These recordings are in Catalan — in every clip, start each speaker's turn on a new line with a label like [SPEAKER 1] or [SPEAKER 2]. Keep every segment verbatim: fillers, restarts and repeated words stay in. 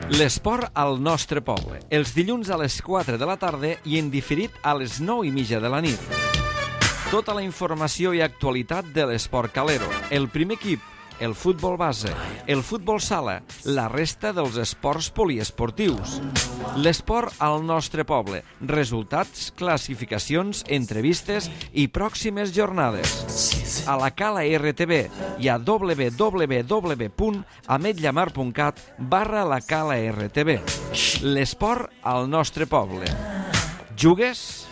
[SPEAKER 1] L'esport al nostre poble, els dilluns a les quatre de la tarda i en diferit a les nou i mitja de la nit. Tota la informació i actualitat de l'esport calero, el primer equip, el futbol base, el futbol sala, la resta dels esports poliesportius. L'esport al nostre poble, resultats, classificacions, entrevistes i pròximes jornades. A la Cala R T V i a w w w punt ametlla mar punt cat barra la Cala R T V. L'esport al nostre poble. Jugues?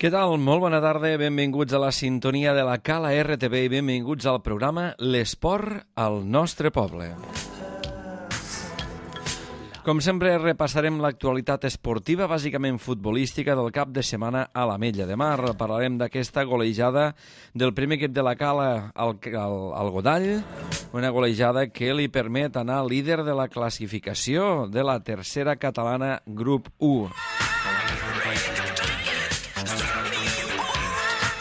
[SPEAKER 1] Què tal? Molt bona tarda, benvinguts a la sintonia de la Cala R T V i benvinguts al programa L'esport al nostre poble. Com sempre, repassarem l'actualitat esportiva, bàsicament futbolística, del cap de setmana a l'Ametlla de Mar. Parlarem d'aquesta golejada del primer equip de la Cala al, al, al Godall, una golejada que li permet anar líder de la classificació de la tercera catalana grup u.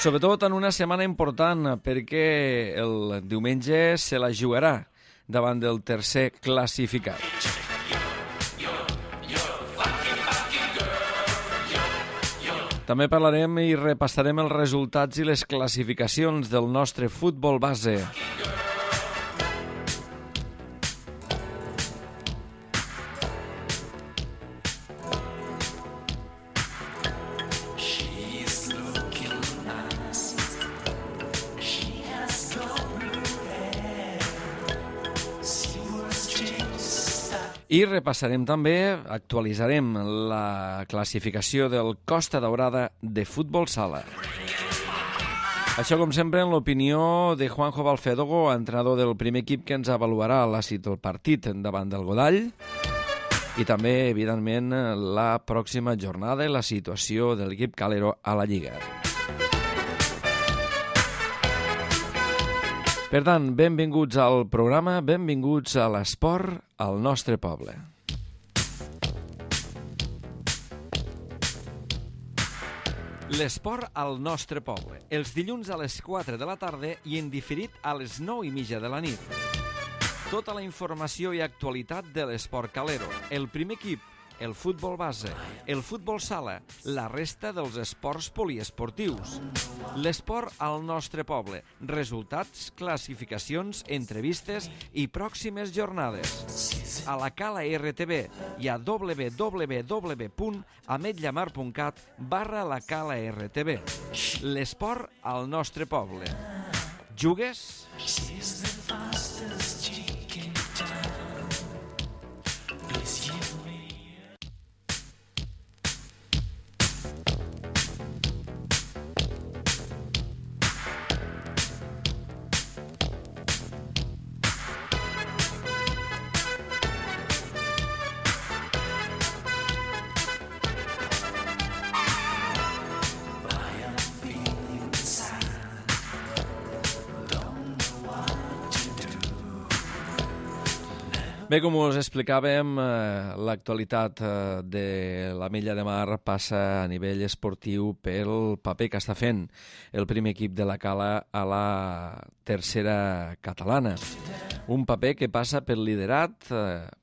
[SPEAKER 1] Sobretot en una setmana important, perquè el diumenge se la jugarà davant del tercer classificat. També parlarem i repassarem els resultats i les classificacions del nostre futbol base. I repassarem també, actualitzarem la classificació del Costa Daurada de futbol sala. Això, com sempre, en l'opinió de Juanjo Balfedogo, entrenador del primer equip que ens avaluarà el partit davant del Godall i també, evidentment, la pròxima jornada i la situació de l'equip calero a la Lliga. Per tant, benvinguts al programa, benvinguts a l'esport al nostre poble. L'esport al nostre poble, els dilluns a les quatre de la tarda i en diferit a les nou i mitja de la nit. Tota la informació i actualitat de l'esport calero, el primer equip, el futbol base, el futbol sala, la resta dels esports poliesportius. L'esport al nostre poble, resultats, classificacions, entrevistes i pròximes jornades. A la Cala R T V i a w w w punt ametlla mar punt cat barra la Cala R T V. L'esport al nostre poble. Jugues? Bé, com us explicàvem, l'actualitat de l'Ametlla de Mar passa a nivell esportiu pel paper que està fent el primer equip de la Cala a la tercera catalana. Un paper que passa pel liderat,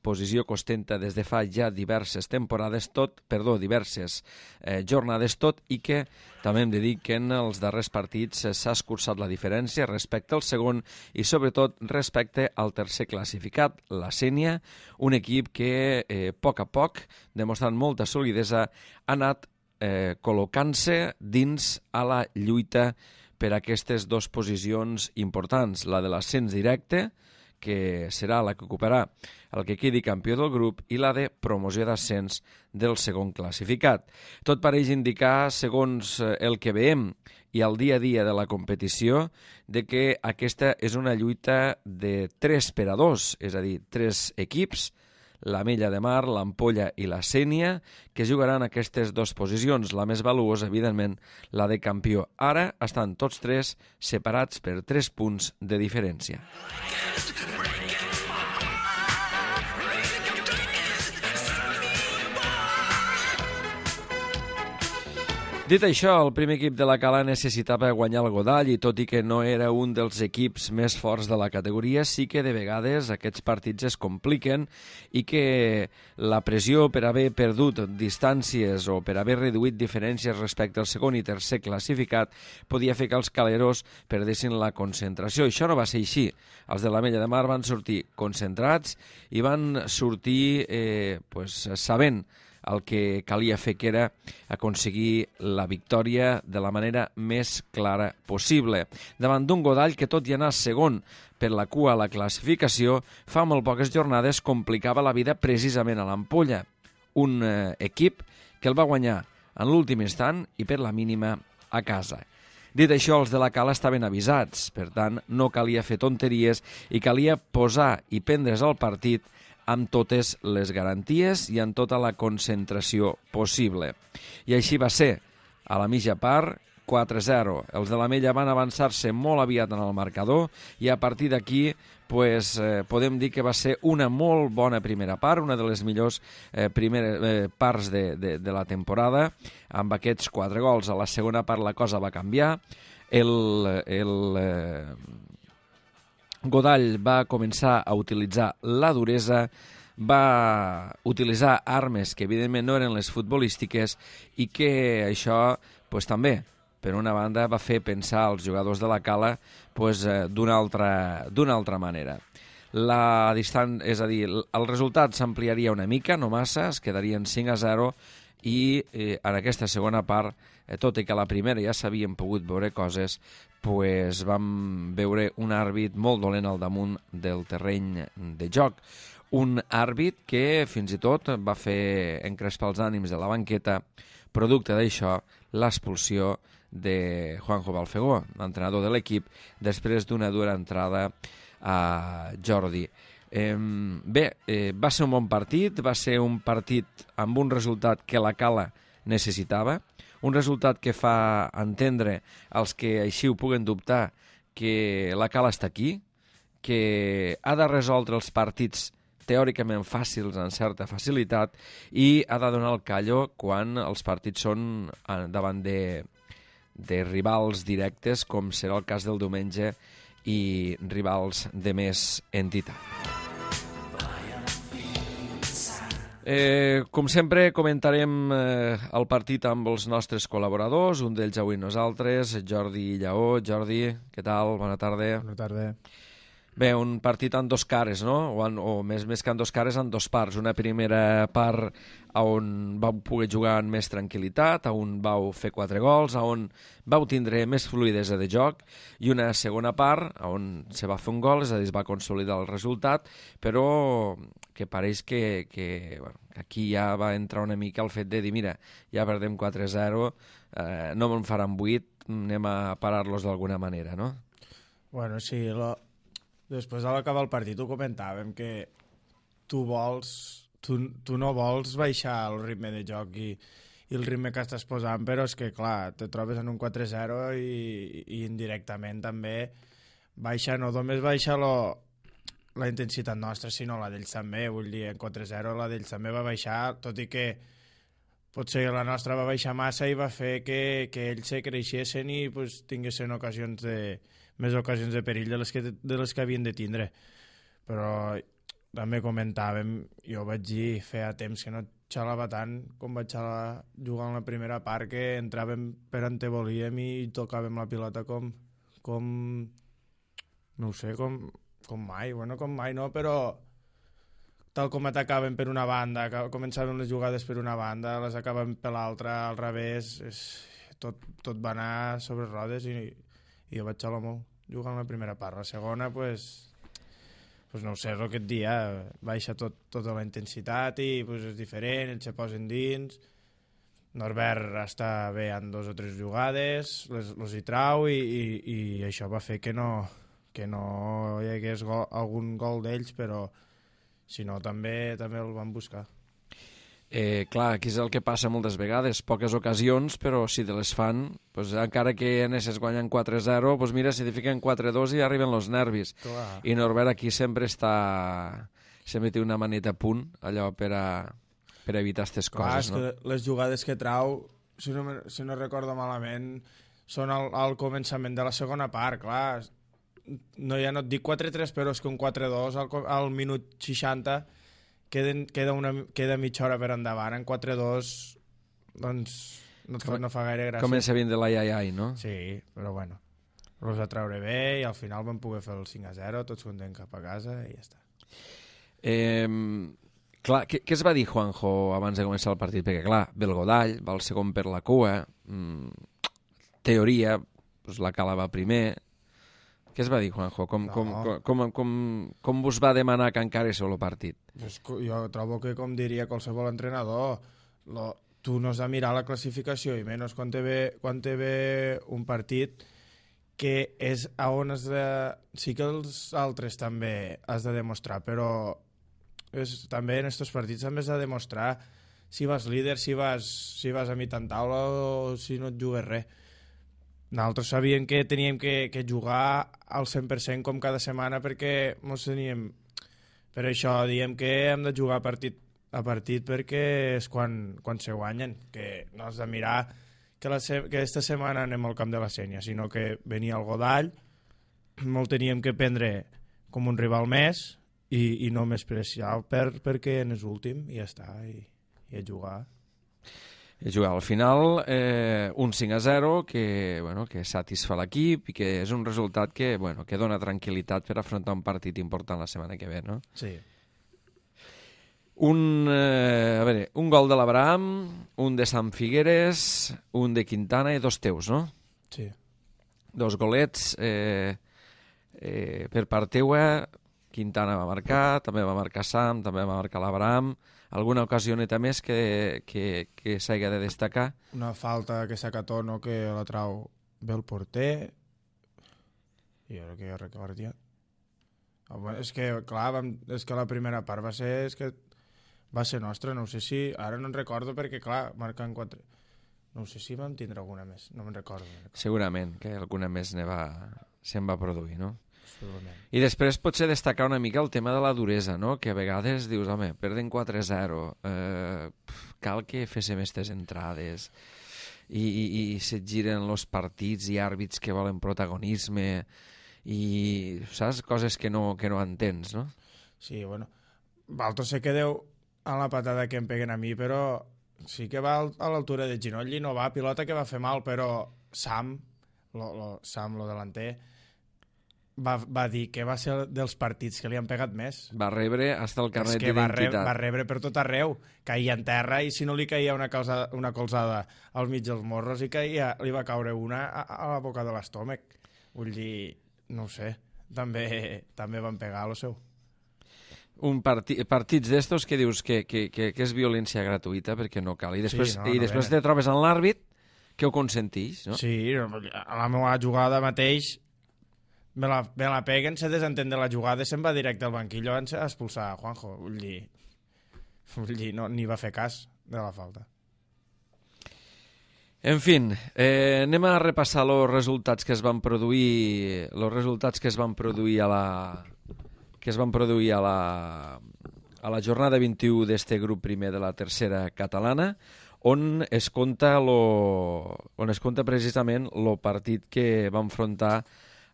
[SPEAKER 1] posició que ostenta des de fa ja diverses temporades, tot, perdó, diverses eh, jornades, tot i que també hem de dir que en els darrers partits s'ha escurçat la diferència respecte al segon i sobretot respecte al tercer classificat, la Sénia, un equip que eh, a poc a poc, demostrant molta solidesa, ha anat eh, col·locant-se dins a la lluita per aquestes dues posicions importants, la de l'ascens directe, que serà la que ocuparà el que quedi campió del grup, i la de promoció d'ascens del segon classificat. Tot pareix indicar, segons el que veiem i al dia a dia de la competició, de que aquesta és una lluita de tres per a dos, és a dir, tres equips, l'Ametlla de Mar, l'Ampolla i la Sénia, que jugaran aquestes dues posicions. La més valuosa, evidentment, la de campió. Ara estan tots tres separats per tres punts de diferència. Dit això, el primer equip de la Cala necessitava guanyar el Godall i tot i que no era un dels equips més forts de la categoria, sí que de vegades aquests partits es compliquen i que la pressió per haver perdut distàncies o per haver reduït diferències respecte al segon i tercer classificat podia fer que els caleros perdessin la concentració. Això no va ser així. Els de l'Ametlla de Mar van sortir concentrats i van sortir eh, pues, sabent el que calia fer, que era aconseguir la victòria de la manera més clara possible. Davant d'un Godall que, tot i anar segon per la cua a la classificació, fa molt poques jornades complicava la vida precisament a l'Ampolla. Un eh, equip que el va guanyar en l'últim instant i per la mínima a casa. Dit això, els de la Cala estaven avisats, per tant, no calia fer tonteries i calia posar i prendre's el partit amb totes les garanties i amb tota la concentració possible. I així va ser. A la mitja part, quatre a zero. Els de l'Ametlla van avançar-se molt aviat en el marcador i a partir d'aquí pues, eh, podem dir que va ser una molt bona primera part, una de les millors eh, primeres eh, parts de, de, de la temporada, amb aquests quatre gols. A la segona part la cosa va canviar. El... el eh, Godall va començar a utilitzar la duresa, va utilitzar armes que evidentment no eren les futbolístiques i que això pues, també, per una banda, va fer pensar als jugadors de la Cala pues, d'una altra, d'una altra manera. La distan... És a dir, el resultat s'ampliaria una mica, no massa, es quedarien cinc a zero i eh, en aquesta segona part, eh, tot i que a la primera ja s'havien pogut veure coses, pues vam veure un àrbit molt dolent al damunt del terreny de joc. Un àrbit que fins i tot va fer encrespar els ànims de la banqueta, producte d'això l'expulsió de Juanjo Balfegó, l'entrenador de l'equip, després d'una dura entrada a Jordi. Eh, bé, eh, va ser un bon partit, va ser un partit amb un resultat que la Cala necessitava, un resultat que fa entendre als que així ho puguen dubtar que la Cala està aquí, que ha de resoldre els partits teòricament fàcils en certa facilitat i ha de donar el callo quan els partits són davant de, de rivals directes, com serà el cas del diumenge, i rivals de més entitat. Eh, com sempre, comentarem eh, el partit amb els nostres col·laboradors, un d'ells avui nosaltres, Jordi Lleó. Jordi, què tal? Bona tarda.
[SPEAKER 2] Bona tarda.
[SPEAKER 1] Bé, un partit en dos cares, no? O, en, o més, més que en dos cares, en dos parts. Una primera part on vau poder jugar amb més tranquil·litat, on vau fer quatre gols, on vau tindre més fluidesa de joc, i una segona part on se va fer un gol, és a dir, es va consolidar el resultat, però que pareix que, que bueno, aquí ja va entrar una mica el fet de dir, mira, ja perdem quatre a zero, eh, no me'n faran vuit, anem a parar-los d'alguna manera, no?
[SPEAKER 2] Bueno, sí, lo... després a l'acabar el partit ho comentàvem, que tu vols, tu, tu no vols baixar el ritme de joc i, i el ritme que estàs posant, però és que, clar, te trobes en un quatre a zero i, i indirectament també baixa, no només baixa lo, la intensitat nostra, sinó la d'ells també, vull dir, en quatre a zero la d'ells també va baixar, tot i que potser la nostra va baixar massa i va fer que, que ells se creixessin i pues, tinguessin ocasions de, més ocasions de perill de les, que, de les que havien de tindre. Però també comentàvem, jo vaig dir feia temps que no xalava tant com vaig xalar jugant la primera part, que entràvem per on te volíem i tocàvem la pilota com, com no ho sé, com, com mai, bueno, com mai no, però tal com atacàvem per una banda, començàvem les jugades per una banda, les acabàvem per l'altra, al revés, és, tot, tot va anar sobre rodes i, i jo vaig xalar molt jugant la primera part. La segona, pues, pues no ho sé, el que et dia, baixa tot, tota la intensitat i pues, és diferent, ells se posen dins. Norbert està bé en dos o tres jugades, les, les hi trau i, i, i això va fer que no, que no hi hagués gol, algun gol d'ells, però Si no, també també el van buscar.
[SPEAKER 1] Eh, clar, aquí és el que passa moltes vegades, poques ocasions, però si te les fan, pues, encara que Enes guanyen quatre zero, pues mira, si te fiquen quatre dos i arriben els nervis.
[SPEAKER 2] Clar.
[SPEAKER 1] I Norbert aquí sempre està... sempre té una maneta a punt, allò per a, per a evitar aquestes coses,
[SPEAKER 2] Clar,
[SPEAKER 1] no?
[SPEAKER 2] que les jugades que trau, si no, si no recordo malament, són al, al començament de la segona part, clar. No, ja no et dic quatre tres, però és que un quatre dos al, al minut seixanta queden, queda, una, queda mitja hora per endavant. En quatre dos, doncs, no, et fa, no fa gaire gràcia.
[SPEAKER 1] Comença a vindre l'ai ai ai, no?
[SPEAKER 2] Sí, però bueno, els va treure bé i al final vam poder fer el cinc a zero, tots contents cap a casa i ja està.
[SPEAKER 1] Eh, clar, què, què es va dir Juanjo abans de començar el partit? Perquè clar, ve el Godall, va el segon per la cua, mm, teoria, doncs la Cala va primer. Què es va dir Juanjo? Com,
[SPEAKER 2] No.
[SPEAKER 1] com, com, com, com, com vos va demanar que encarés el partit?
[SPEAKER 2] Pues, jo trobo que, com diria qualsevol entrenador, lo, tu no has de mirar la classificació, i menys quan te ve, quan te ve un partit que és a on has de... Sí que els altres també has de demostrar, però és, també en aquests partits també has de demostrar si vas líder, si vas, si vas a mitjan taula o si no et jugues res. Nosaltres sabíem que teníem que, que jugar al cent per cent com cada setmana perquè mos teníem... Per això diem que hem de jugar partit a partit perquè és quan, quan se guanyen, que no has de mirar que, la se que esta setmana anem al camp de la Sénia, sinó que venia el Godall, molt teníem que prendre com un rival més i, i no més preciar per, perquè en és últim i ja està, i, i a jugar.
[SPEAKER 1] I jugar al final eh, un cinc a zero que, bueno, que satisfà l'equip i que és un resultat que, bueno, que dona tranquil·litat per afrontar un partit important la setmana que ve, no?
[SPEAKER 2] Sí.
[SPEAKER 1] Un, eh, a veure, un gol de l'Abraham, un de Sant Figueres, un de Quintana i dos teus, no?
[SPEAKER 2] Sí.
[SPEAKER 1] Dos golets eh, eh, per part teua. Quintana va marcar, també va marcar Sam, també va marcar l'Abraham. Alguna ocasioneta més que, que, que s'hagi de destacar?
[SPEAKER 2] Una falta que saca Tono que la trau bé el porter i ara que jo recordo ja. És que, clar, vam, és que la primera part va ser, és que va ser nostra, no sé si, ara no en recordo perquè, clar, marcant quatre... No sé si vam tindre alguna més, no me'n recordo.
[SPEAKER 1] Segurament que alguna més ne va, se'n va produir, no?
[SPEAKER 2] Segurament.
[SPEAKER 1] I després potser destacar una mica el tema de la duresa, no? Que a vegades dius, home, perden quatre zero, eh, cal que féssim aquestes entrades i, i, i se't giren els partits i àrbits que volen protagonisme i, saps? Coses que no, que no entens, no?
[SPEAKER 2] Sí, bueno, Balto se quedeu a la patada que em peguen a mi, però sí que va a l'altura de Ginolli, no va, pilota que va fer mal, però Sam, lo, lo, Sam, lo delanter, va, va dir que va ser dels partits que li han pegat més.
[SPEAKER 1] Va rebre hasta el carnet
[SPEAKER 2] d'identitat. Va, rebre, va rebre per tot arreu, caia en terra i si no li caia una, calzada, una colzada al mig dels morros i caia, li va caure una a, a la boca de l'estómac. Vull dir, no ho sé, també, també van pegar a lo seu.
[SPEAKER 1] Un parti, partits d'estos que dius que, que, que, que és violència gratuïta perquè no cal. I després,
[SPEAKER 2] sí, no,
[SPEAKER 1] i
[SPEAKER 2] no
[SPEAKER 1] després
[SPEAKER 2] venen.
[SPEAKER 1] te trobes en l'àrbit que ho consentís, no?
[SPEAKER 2] Sí, a la meva jugada mateix me la, me la peguen, se desentén de la jugada i se'n va directe al banquillo a expulsar a Juanjo. Vull dir, vull dir no, ni va fer cas de la falta.
[SPEAKER 1] En fi, eh, anem a repassar els resultats que es van produir els resultats que es van produir a la que es van produir a la, a la jornada vint-i-u d'este grup primer de la tercera catalana, on es compta, lo, on es compta precisament el partit que va enfrontar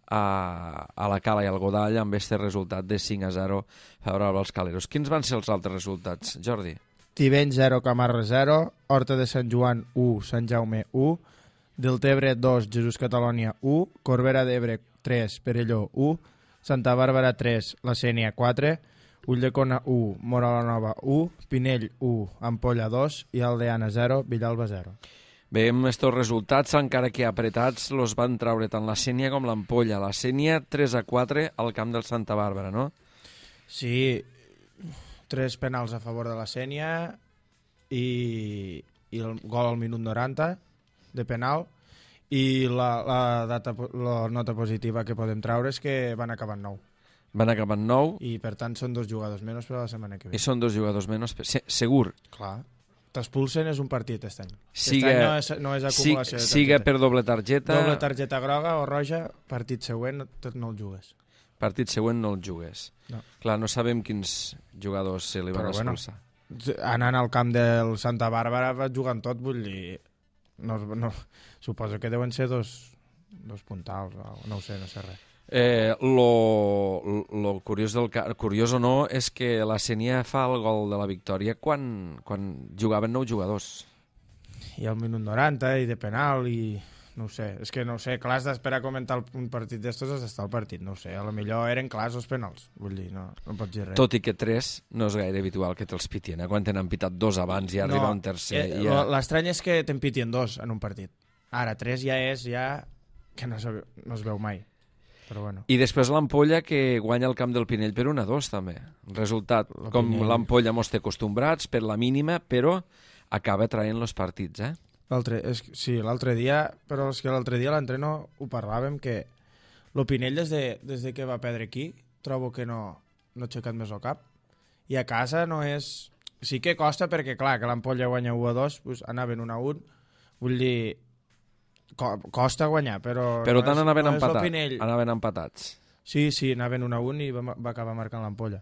[SPEAKER 1] a, a la Cala i al Godall amb este resultat de cinc a zero favorable als caleros. Quins van ser els altres resultats, Jordi?
[SPEAKER 2] Tibeny zero, Camarra zero, Horta de Sant Joan u, Sant Jaume u, Deltebre dos, Jesús Catalònia u, Corbera d'Ebre tres, Perelló u, Santa Bàrbara tres, La Sénia quatre, Ulldecona u, Móra la Nova u, Pinell u, Ampolla dos i Aldeana zero, Villalba zero.
[SPEAKER 1] Veiem estos resultats, encara que apretats, los van traure tant la Sénia com l'Ampolla. La Sénia tres a quatre al camp del Santa Bàrbara, no?
[SPEAKER 2] Sí, tres penals a favor de la Sénia i, i el gol al minut noranta de penal. I la, la, data, la nota positiva que podem traure és que van acabar en nou.
[SPEAKER 1] Van acabar en nou.
[SPEAKER 2] I, per tant, són dos jugadors menys per a la setmana que ve.
[SPEAKER 1] I són dos jugadors menys. Se segur.
[SPEAKER 2] Clar. T'expulsen és un partit, aquest any.
[SPEAKER 1] Siga,
[SPEAKER 2] aquest any no és, no és acumulació
[SPEAKER 1] si,
[SPEAKER 2] de targeta.
[SPEAKER 1] Siga per doble targeta...
[SPEAKER 2] Doble targeta groga o roja, partit següent tot no el jugues.
[SPEAKER 1] Partit següent no el jugues.
[SPEAKER 2] No.
[SPEAKER 1] Clar, no sabem quins jugadors se li van
[SPEAKER 2] Però,
[SPEAKER 1] expulsar.
[SPEAKER 2] Bueno, anant al camp del Santa Bàrbara va jugant tot, vull dir... No, no, suposo que deuen ser dos, dos puntals, no ho sé, no sé res.
[SPEAKER 1] Eh, lo, lo curiós, del, curiós o no és que la Sénia fa el gol de la victòria quan, quan jugaven nou jugadors.
[SPEAKER 2] I al minut noranta, i de penal, i no ho sé. És que no ho sé, clar, has d'esperar a comentar un partit d'estos has d'estar al partit, no ho sé. A lo millor eren clars els penals, vull dir, no, no pots dir res.
[SPEAKER 1] Tot i que tres no és gaire habitual que te'ls pitien, eh? Quan tenen pitat dos abans i arriba
[SPEAKER 2] no,
[SPEAKER 1] un tercer.
[SPEAKER 2] Eh,
[SPEAKER 1] ja...
[SPEAKER 2] L'estrany és que te'n pitien dos en un partit. Ara, tres ja és, ja, que no, se, no es veu mai. Però bueno.
[SPEAKER 1] I després l'Ampolla, que guanya el camp del Pinell per un a dos, també. Resultat, la com l'Ampolla mos té acostumbrats, per la mínima, però acaba traient els partits, eh?
[SPEAKER 2] L'altre, és, sí, l'altre dia, però és que l'altre dia a l'entreno ho parlàvem, que el Pinell des de, des de que va perdre aquí, trobo que no, no ha aixecat més el cap. I a casa no és... Sí que costa perquè, clar, que l'Ampolla guanya u a dos, doncs anaven un a un, vull dir... Costa guanyar, però...
[SPEAKER 1] Però
[SPEAKER 2] no
[SPEAKER 1] tant
[SPEAKER 2] és,
[SPEAKER 1] anaven,
[SPEAKER 2] no
[SPEAKER 1] empatat, anaven empatats.
[SPEAKER 2] Sí, sí, anaven un a un i va, va acabar marcant l'Ampolla.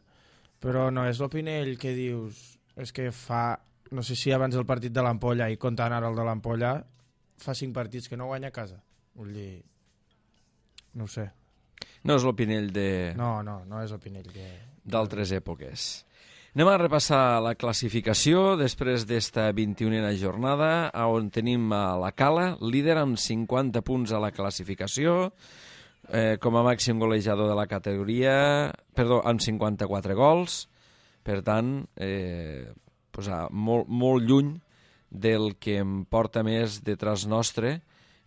[SPEAKER 2] Però no és l'Opinell que dius... És que fa... No sé si abans del partit de l'Ampolla i comptant ara el de l'Ampolla, fa cinc partits que no guanya a casa. Vull dir... No ho sé.
[SPEAKER 1] No és l'Opinell de...
[SPEAKER 2] No, no, no és l'Opinell que...
[SPEAKER 1] d'altres èpoques. Anem a repassar la classificació després d'esta vint-i-unena jornada, on tenim a la Cala, líder amb cinquanta punts a la classificació, eh, com a màxim golejador de la categoria, perdó, amb cinquanta-quatre gols, per tant, eh, pues, ah, molt, molt lluny del que em porta més detrás nostre,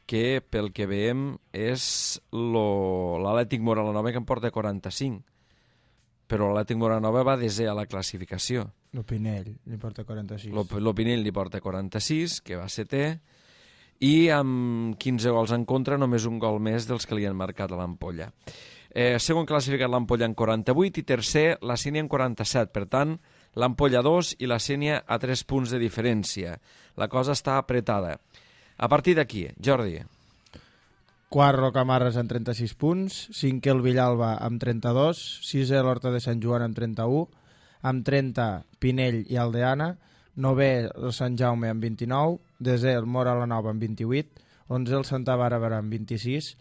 [SPEAKER 1] que pel que veiem és l'Atlètic Moralanova, que em porta quaranta-cinc. Però l'Atlètic Moralanova va desè a la classificació.
[SPEAKER 2] L'Opinell li porta quaranta-sis.
[SPEAKER 1] L'Opinell li porta quaranta-sis, que va setè, i amb quinze gols en contra, només un gol més dels que li han marcat a l'Ampolla. Eh, segon classificat l'Ampolla en quaranta-vuit i tercer la Sénia en quaranta-set. Per tant, l'Ampolla dos i la Sénia a tres punts de diferència. La cosa està apretada. A partir d'aquí, Jordi...
[SPEAKER 2] Quart Rocamarres amb trenta-sis punts, cinquè el Villalba amb trenta-dos, sisè l'Horta de Sant Joan amb trenta-u, amb trenta Pinell i Aldeana, novè el Sant Jaume amb vint-i-nou, desè el Mora la Nova amb vint-i-vuit, onzè el Santa Bàrbara amb vint-i-sis,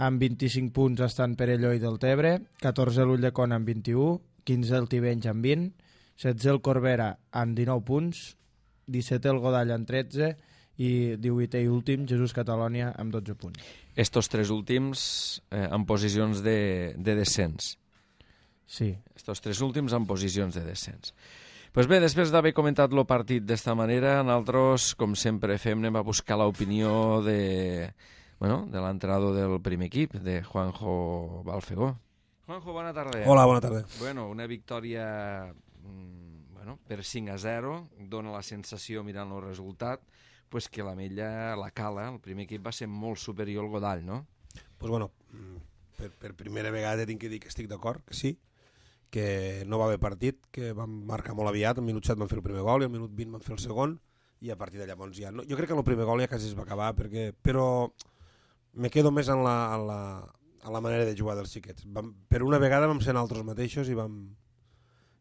[SPEAKER 2] amb vint-i-cinc punts estan Perelló i Deltebre, catorze l'Ulldecona amb vint-i-u, quinze el Tivenys amb vint, setze el Corbera amb dinou punts, dissetè el Godall amb tretze i divuitè i últim Jesús Catalònia amb dotze punts.
[SPEAKER 1] Estos tres últims eh, en posicions de, de descens.
[SPEAKER 2] Sí.
[SPEAKER 1] Estos tres últims en posicions de descens. Pues bé, després d'haver comentat el partit d'esta manera, nosaltres, com sempre fem, anem a buscar l'opinió de, bueno, de l'entrenador del primer equip, de Juanjo Balfegó. Juanjo, bona tarda.
[SPEAKER 3] Hola, bona tarda.
[SPEAKER 1] Bueno, una victòria mm, bueno, per cinc a zero, dona la sensació, mirant el resultat, pues que l'Ametlla, la Cala, el primer equip va ser molt superior al Godall, no?
[SPEAKER 3] Pues bueno, per, per primera vegada tinc que dir que estic d'acord, que sí, que no va haver partit, que vam marcar molt aviat, al minut set van fer el primer gol i al minut vint van fer el segon, i a partir de llavors ja... No, jo crec que en el primer gol ja quasi es va acabar, perquè, però me quedo més en la, en la, en la manera de jugar dels xiquets. Vam, per una vegada vam ser nosaltres mateixos i vam,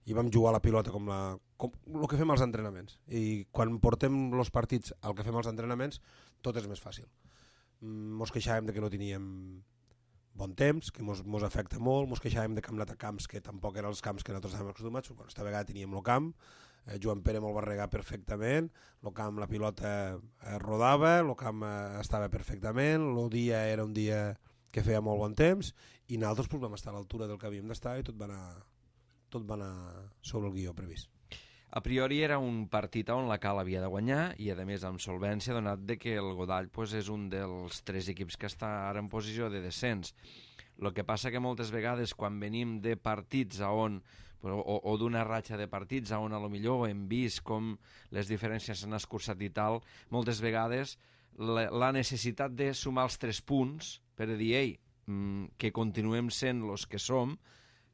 [SPEAKER 3] i vam jugar la pilota com, la, com el que fem als entrenaments. I quan portem els partits al que fem als entrenaments, tot és més fàcil. Mos queixàvem de que no teníem bon temps, que mos, mos afecta molt, mos queixàvem de camp camps que tampoc eren els camps que nosaltres estàvem acostumats, però aquesta vegada teníem el camp, eh, Joan Pere me'l va regar perfectament, el camp, la pilota eh, rodava, el camp eh, estava perfectament, el dia era un dia que feia molt bon temps, i nosaltres pues, vam estar a l'altura del que havíem d'estar i tot va anar... tot va anar sobre el guió previst.
[SPEAKER 1] A priori era un partit on la Cala havia de guanyar i, a més, amb solvència, donat de que el Godall pues, és un dels tres equips que està ara en posició de descens. El que passa que moltes vegades, quan venim de partits a on, o, o d'una ratxa de partits a on a lo millor hem vist com les diferències s'han escurçat i tal, moltes vegades la, la necessitat de sumar els tres punts per a dir, ei, que continuem sent els que som,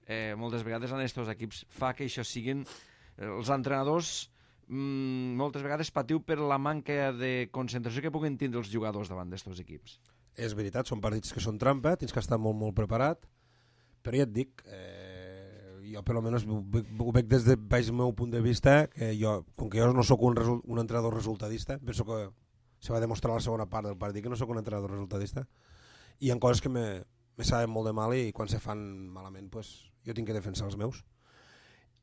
[SPEAKER 1] eh, moltes vegades en aquests equips fa que això siguin... Eh, els entrenadors mm, moltes vegades patiu per la manca de concentració que puguen tindre els jugadors davant d'aquests equips.
[SPEAKER 3] És veritat, són partits que són trampa, tens que estar molt, molt preparat, però ja et dic, eh, jo per almenys ho, ho veig des del meu punt de vista, que jo, com que jo no sóc un, un entrenador resultadista, penso que se va demostrar la segona part del partit que no sóc un entrenador resultadista, i hi ha coses que me, me saben molt de mal i quan se fan malament pues, jo tinc que defensar els meus.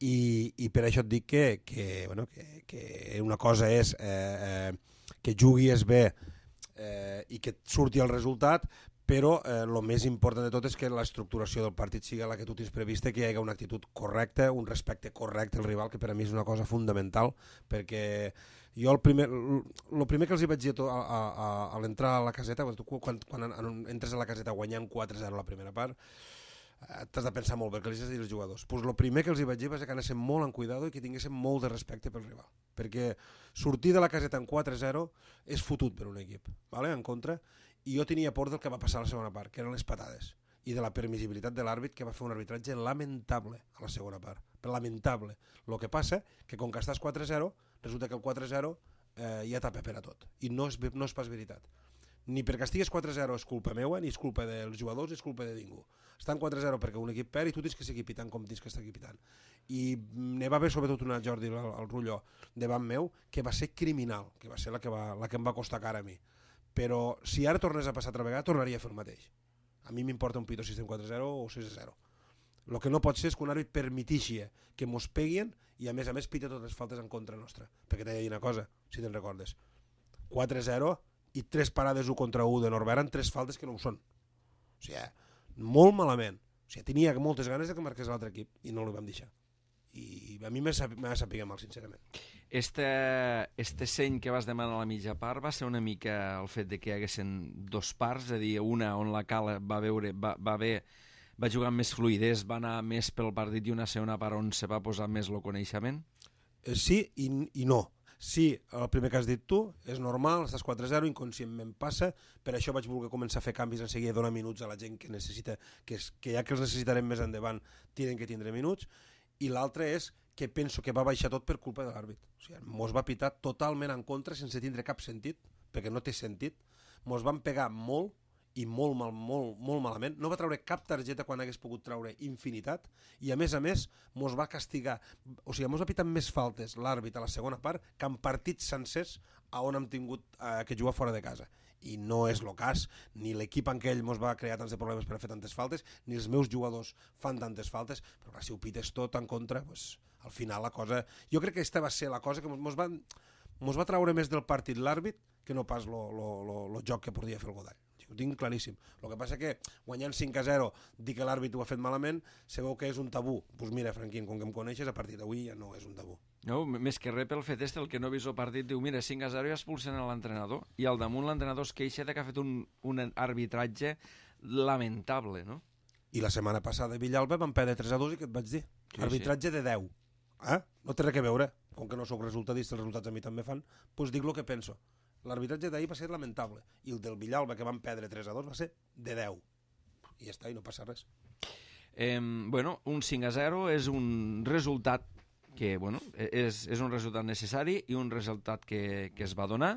[SPEAKER 3] I, i per això et dic que, que, bueno, que, que una cosa és eh, eh, que juguis bé eh, i que et surti el resultat, però el eh, més important de tot és que l'estructuració del partit sigui la que tu tens prevista, que hi hagi una actitud correcta, un respecte correcte al rival, que per a mi és una cosa fundamental, perquè jo el primer, el primer que els hi vaig dir a, a, a, a l'entrar a la caseta, quan, quan entres a la caseta guanyant quatre zero la primera part, t'has de pensar molt bé què els has de dir als jugadors. Pues el primer que els hi vaig dir va ser que anéssim molt en cuidado i que tinguéssim molt de respecte pel rival, perquè sortir de la caseta en quatre zero és fotut per un equip, vale? En contra, i jo tenia por del que va passar a la segona part, que eren les patades, i de la permissibilitat de l'àrbit, que va fer un arbitratge lamentable a la segona part, però lamentable. El que passa que com que estàs quatre zero, resulta que el quatre zero eh, ja tapa per a tot, i no és, no és pas veritat. Ni perquè estigues quatre zero és culpa meua, ni és culpa dels jugadors, ni és culpa de ningú. Estan quatre zero perquè un equip perd i tu tens que seguir pitant com tens que estar pitant. I ne va haver sobretot una, Jordi, el, el Rulló, davant meu, que va ser criminal, que va ser la que, va, la que em va costar cara a mi. Però si ara tornés a passar altra vegada, tornaria a fer el mateix. A mi m'importa un pito si estem quatre zero o sis zero. El que no pot ser és que un àrbit permetixi que mos peguin i a més a més pita totes les faltes en contra nostra. Perquè t'he de dir una cosa, si te'n recordes. quatre zero i tres parades u contra u de Norbert eren tres faltes que no ho són. O sigui, molt malament. O sigui, tenia moltes ganes de que marqués l'altre equip i no li vam deixar. I a mi m'ha sapigat mal, sincerament.
[SPEAKER 1] Este, este seny que vas demanar a la mitja part va ser una mica el fet de que hi haguessin dos parts, és a dir, una on la Cala va veure, va, va, ver, va jugar amb més fluidesa, va anar més pel partit, i una segona part on se va posar més el coneixement?
[SPEAKER 3] Eh, sí i, i no. Sí, el primer que has dit tu, és normal, estàs quatre zero, inconscientment passa, per això vaig voler començar a fer canvis en seguida, donar minuts a la gent que necessita, que, és, que ja que els necessitarem més endavant, tenen que tindre minuts, i l'altre és que penso que va baixar tot per culpa de l'àrbit. O sigui, mos va pitar totalment en contra sense tindre cap sentit, perquè no té sentit, mos van pegar molt, i molt, mal, molt, molt malament, no va treure cap targeta quan hagués pogut treure infinitat, i a més a més mos va castigar, o sigui, mos va pitar més faltes l'àrbit a la segona part que en partits sencers a on hem tingut eh, que jugar fora de casa, i no és el cas, ni l'equip en què ell mos va crear tants de problemes per a fer tantes faltes, ni els meus jugadors fan tantes faltes, però clar, si ho pites tot en contra, pues, al final la cosa, jo crec que aquesta va ser la cosa que mos va, mos va treure més del partit l'àrbit que no pas el joc que podia fer el Godall. Ho tinc claríssim. El que passa que guanyant cinc a zero, dir que l'àrbit ho ha fet malament, sabeu que és un tabú. Doncs pues mira, Franquín, com que em coneixes, a partir d'avui ja no és un tabú.
[SPEAKER 1] No, més que res pel fet este, el que no ha vist el partit, diu, mira, cinc a zero i expulsen a l'entrenador, i al damunt l'entrenador es queixa de que ha fet un, un arbitratge lamentable, no?
[SPEAKER 3] I la setmana passada a Villalba van perdre tres a dos i què et vaig dir? Sí, arbitratge sí. de deu. Eh? No té res a veure. Com que no sóc resultadista, els resultats a mi també fan, doncs dic el que penso. L'arbitratge d'ahir va ser lamentable, i el del Villalba, que van perdre tres a dos, va ser de deu. I ja està, i no passa res.
[SPEAKER 1] Eh, bueno, un cinc a zero és un resultat que, bueno, és, és un resultat necessari i un resultat que, que es va donar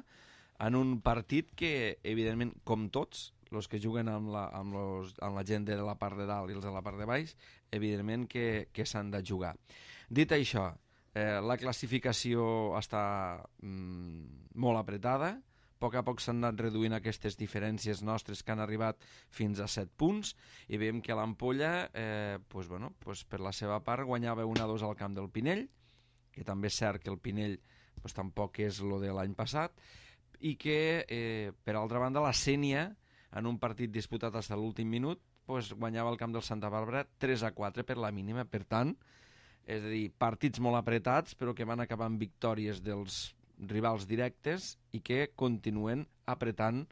[SPEAKER 1] en un partit que, evidentment, com tots, els que juguen amb la, amb, los, amb la gent de la part de dalt i els de la part de baix, evidentment que, que s'han de jugar. Dit això, Eh, la classificació està mm, molt apretada, a poc a poc s'han anat reduint aquestes diferències nostres que han arribat fins a set punts, i veiem que l'Ampolla, eh, pues, bueno, pues, per la seva part, guanyava un a dos al camp del Pinell, que també és cert que el Pinell pues, tampoc és el de l'any passat, i que, eh, per altra banda, la Sénia, en un partit disputat fins a l'últim minut, pues, guanyava el camp del Santa Bàrbara tres a quatre per la mínima. Per tant, és a dir, partits molt apretats, però que van acabar amb victòries dels rivals directes i que continuen apretant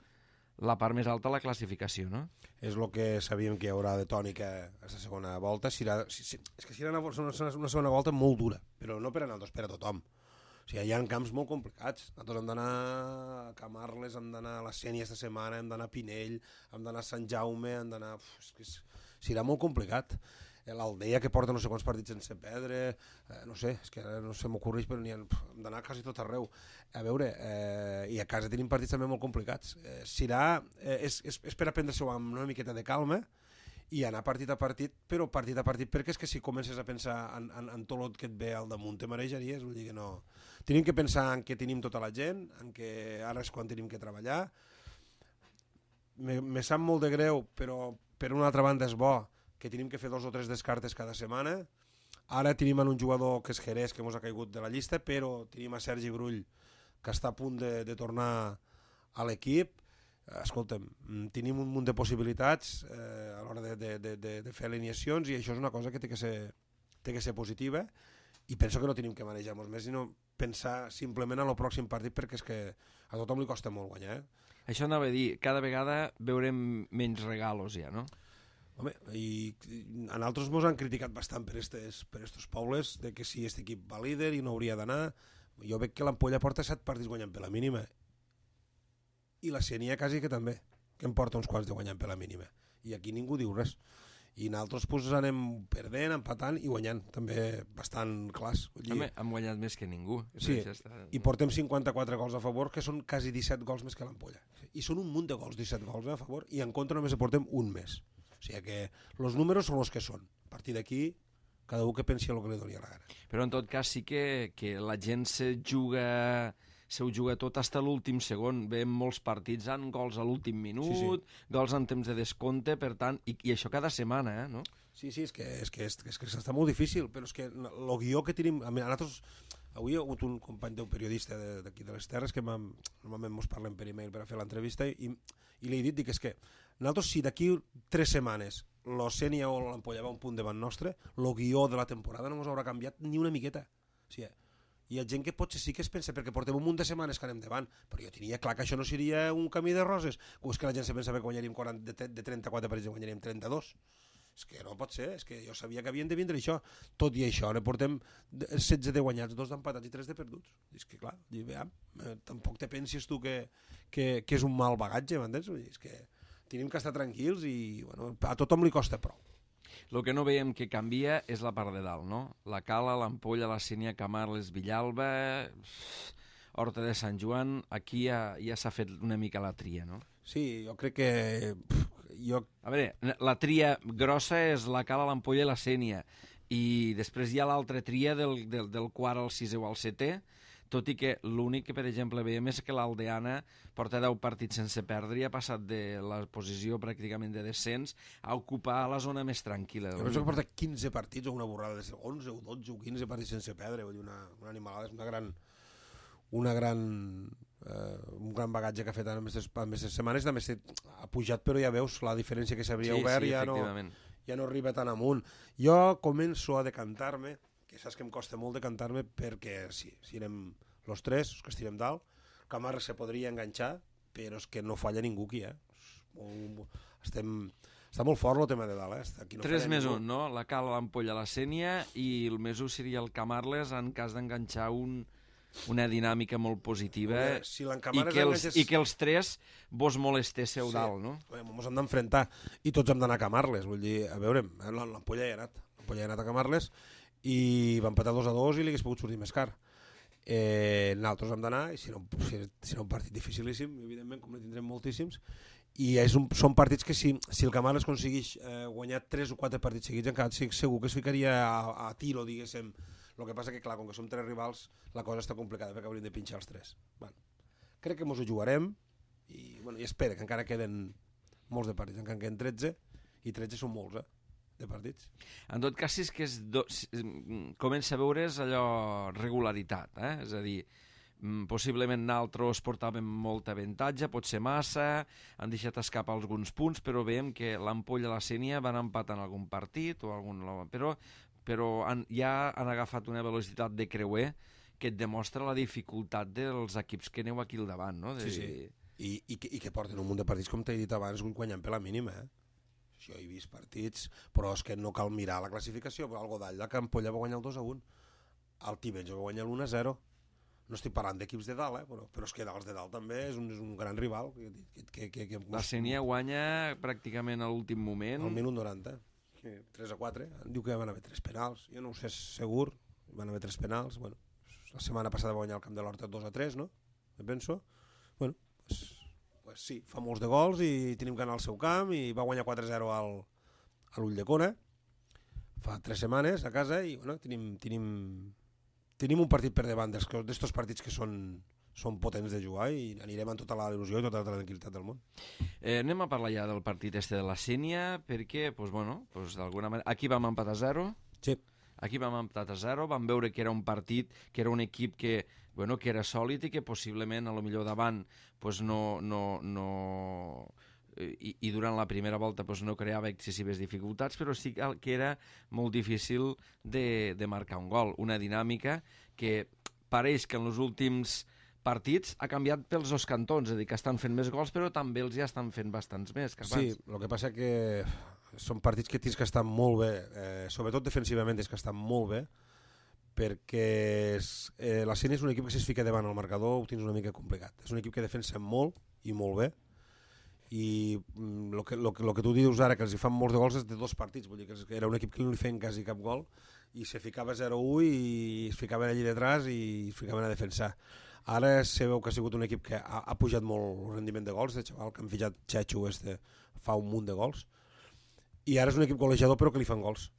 [SPEAKER 1] la part més alta de la classificació, no?
[SPEAKER 3] És el que sabíem que hi haurà de tònica a la segona volta. Serà, si, si, és que serà una, una segona volta molt dura, però no per a nosaltres, per a tothom. O sigui, hi ha camps molt complicats. Nosaltres hem d'anar a Camarles, hem d'anar a la Sénia esta setmana, hem d'anar a Pinell, hem d'anar a Sant Jaume, hem d'anar... Uf, és que és, serà molt complicat. l'Aldea que porta no sé quants partits sense perdre, eh, no sé, és que ara no se m'ocorreix, però n'hi ha, hem d'anar quasi tot arreu. A veure, eh, i a casa tenim partits també molt complicats. Eh, Sirà, eh, és, és, és per aprendre-s'ho amb una miqueta de calma i anar partit a partit, però partit a partit, perquè és que si comences a pensar en, en, en tot el que et ve al damunt te marejaries, vull dir que no. Tenim que pensar en que tenim tota la gent, en que ara és quan tenim que treballar. Me, me sap molt de greu, però per una altra banda és bo que tenim que fer dos o tres descartes cada setmana. Ara tenim un jugador que és Jerez, que ens ha caigut de la llista, però tenim a Sergi Brull, que està a punt de, de tornar a l'equip. Escolta'm, tenim un munt de possibilitats eh, a l'hora de, de, de, de, de fer alineacions, i això és una cosa que té que ser, té que ser positiva, i penso que no tenim que manejar-nos més, sinó pensar simplement en el pròxim partit, perquè és que a tothom li costa molt guanyar. Eh?
[SPEAKER 1] Això anava a dir, cada vegada veurem menys regalos ja, no?
[SPEAKER 3] Home, i a nosaltres ens han criticat bastant per estos, per estos pobles, de que si aquest equip va líder i no hauria d'anar. Jo veig que l'Ampolla porta set partits guanyant per la mínima, i la Sénia quasi que també, que en porta uns quants de guanyant per la mínima, i aquí ningú diu res. I nosaltres pues, anem perdent, empatant i guanyant, també bastant clars.
[SPEAKER 1] Home, hem guanyat més que ningú.
[SPEAKER 3] Sí, està... i portem cinquanta-quatre gols a favor, que són quasi disset gols més que l'Ampolla. I són un munt de gols, disset gols a favor, i en contra només portem un més. O sigui que els números són els que són. A partir d'aquí, cada un que pensi el que li doni la gana.
[SPEAKER 1] Però en tot cas sí que, que la gent se juga, se ho juga tot fins a l'últim segon. Veiem molts partits amb gols a l'últim minut, sí, sí. gols en temps de descompte, per tant, i, i això cada setmana, eh, no?
[SPEAKER 3] Sí, sí, és que, és que, és, és que està molt difícil, però és que el guió que tenim... A nosaltres, avui hi ha hagut un company teu periodista d'aquí de les Terres que normalment ens parlem per e-mail per a fer l'entrevista, i, i li he dit, dic, és que nosaltres, si d'aquí tres setmanes l'Ocènia o l'Ampolla va un punt davant nostre, el guió de la temporada no ens haurà canviat ni una miqueta. O sigui, hi ha gent que potser sí que es pensa, perquè portem un munt de setmanes que anem davant, però jo tenia clar que això no seria un camí de roses. O és que la gent se pensa que guanyaríem quaranta, de trenta-quatre partits i guanyaríem trenta-dos. És que no pot ser, és que jo sabia que havien de vindre això. Tot i això, ne portem setze de guanyats, dos d'empatats i tres de perduts. És que clar, veiem, eh, tampoc te pensis tu que, que, que és un mal bagatge, m'entens? És que tenim que estar tranquils i bueno, a tothom li costa prou.
[SPEAKER 1] El que no veiem que canvia és la part de dalt, no? La Cala, l'Ampolla, la Sénia, Camarles, Villalba, Horta de Sant Joan, aquí ja, ja s'ha fet una mica la tria, no?
[SPEAKER 3] Sí, jo crec que... Jo...
[SPEAKER 1] A veure, la tria grossa és la Cala, l'Ampolla i la Sénia, i després hi ha l'altra tria del, del, del quart al sisè o al setè, tot i que l'únic que, per exemple, veiem és que l'Aldeana porta deu partits sense perdre i ha passat de la posició pràcticament de descens a ocupar la zona més tranquil·la.
[SPEAKER 3] Jo penso que porta quinze partits o una borrada de onze o dotze o quinze partits sense perdre, vull dir, una, una animalada, és una gran... una gran eh, un gran bagatge que ha fet en aquestes setmanes. També ha pujat, però ja veus la diferència que s'hauria
[SPEAKER 1] sí,
[SPEAKER 3] obert,
[SPEAKER 1] sí,
[SPEAKER 3] ja, no, ja no arriba tan amunt. Jo començo a decantar-me, que saps que em costa molt decantar-me, perquè sí, si anem los tres, que estirem dalt, Camarles se podria enganxar, però és que no falla ningú aquí, eh? Molt, estem, està molt fort el tema de dalt, eh? Aquí no
[SPEAKER 1] tres més un, no? La Cala, l'Ampolla, la Sénia, i el més un seria el Camarles en cas d'enganxar un, una dinàmica molt positiva,
[SPEAKER 3] veure, si
[SPEAKER 1] i, que els, enganxes... i que els tres vos molestéssiu sí. dalt, no?
[SPEAKER 3] Ens hem d'enfrontar, i tots hem d'anar a Camarles, vull dir, a veure, l'Ampolla ja ha anat, l'Ampolla ja ha anat a Camarles, i va empatar dos a dos i li hagués pogut sortir més car. Eh, nosaltres hem d'anar, i serà un, serà un partit dificilíssim, evidentment, com ne tindrem moltíssims, i és un, són partits que si, si el Camarles aconsegueix eh, guanyar tres o quatre partits seguits, encara segur que es ficaria a, a tiro, diguéssim. El que passa que, clar, com que som tres rivals, la cosa està complicada, perquè hauríem de pinxar els tres. Bueno, crec que ens ho jugarem, i, bueno, i espera, que encara queden molts de partits, encara queden tretze, i tretze són molts, eh? de partits.
[SPEAKER 1] En tot cas, si és que és do... comença a veure's allò regularitat, eh? És a dir, possiblement nosaltres portàvem molta avantatge, pot ser massa, han deixat escapar alguns punts, però veiem que l'Ampolla i la Sénia van empatar en algun partit, o algun... però, però han, ja han agafat una velocitat de creuer que et demostra la dificultat dels equips que aneu aquí al davant, no? De...
[SPEAKER 3] Sí, sí. I, i, que, I que porten un munt de partits, com t'he dit abans, guanyant per la mínima, eh? Jo he vist partits, però és que no cal mirar la classificació, però el Godall de Campolla va guanyar el dos a un, el Tivenys va guanyar l'u a zero, no estic parlant d'equips de dalt, eh? però, però és que els de dalt també és un, és un gran rival. Que, que, que, que,
[SPEAKER 1] la Sénia guanya pràcticament a l'últim moment.
[SPEAKER 3] Al minut noranta. tres a quatre, diu que van haver tres penals, jo no ho sé segur, van haver tres penals, bueno, la setmana passada va guanyar el camp de l'Horta dos a tres, no? Me penso, bueno, pues, pues sí, fa molts de gols i tenim que anar al seu camp i va guanyar quatre a zero al, a l'Ulldecona, fa tres setmanes a casa i bueno, tenim, tenim, tenim un partit per davant d'estos partits que són, són potents de jugar i anirem amb tota la il·lusió i tota la tranquil·litat del món.
[SPEAKER 1] Eh, anem a parlar ja del partit este de la Sénia, perquè, pues, bueno, pues, d'alguna manera, aquí vam empatar a zero,
[SPEAKER 3] sí.
[SPEAKER 1] Aquí vam empatar a zero, vam veure que era un partit, que era un equip que, bueno, que era sòlid i que possiblement, a lo millor davant, pues, no... no, no i, i durant la primera volta pues, no creava excessives dificultats, però sí que era molt difícil de, de marcar un gol. Una dinàmica que pareix que en els últims partits ha canviat pels dos cantons, és a dir, que estan fent més gols, però també els ja estan fent bastants més que abans.
[SPEAKER 3] Sí, el que passa que són partits que tens que estar molt bé, eh, sobretot defensivament tens que estar molt bé, perquè és, eh, la Sénia és un equip que si es fica davant el marcador ho tens una mica complicat. És un equip que defensa molt i molt bé, i el que, lo que, lo que tu dius ara, que els hi fan molts de gols, és de dos partits, vull dir que era un equip que no li feien quasi cap gol, i se ficava zero a u i es ficaven allí detrás i es ficaven a defensar. Ara se veu que ha sigut un equip que ha, ha pujat molt el rendiment de gols, de xaval que han fitxat Chechu este, fa un munt de gols, i ara és un equip golejador però que li fan gols.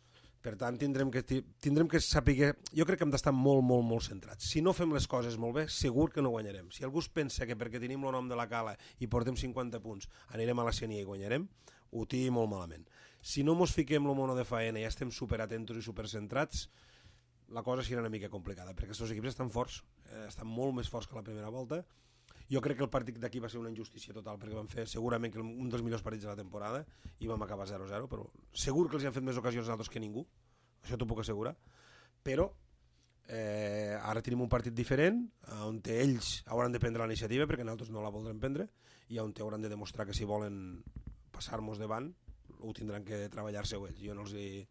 [SPEAKER 3] Per tant, tindrem que, tindrem que saber... Jo crec que hem d'estar molt, molt, molt centrats. Si no fem les coses molt bé, segur que no guanyarem. Si algú es pensa que perquè tenim el nom de la Cala i portem cinquanta punts anirem a la Sénia i guanyarem, ho té molt malament. Si no mos fiquem el mono de faena i ja estem superatentos i supercentrats, la cosa serà una mica complicada, perquè aquests equips estan forts, eh, estan molt més forts que la primera volta. Jo crec que el partit d'aquí va ser una injustícia total, perquè vam fer segurament que un dels millors partits de la temporada i vam acabar zero a zero, però segur que els han fet més ocasions altres que ningú, això t'ho puc assegurar, però eh, ara tenim un partit diferent on ells hauran de prendre la iniciativa perquè nosaltres no la voldrem prendre i on hauran de demostrar que si volen passar-nos davant ho tindran que treballar-se-ho ells. Jo no els hi...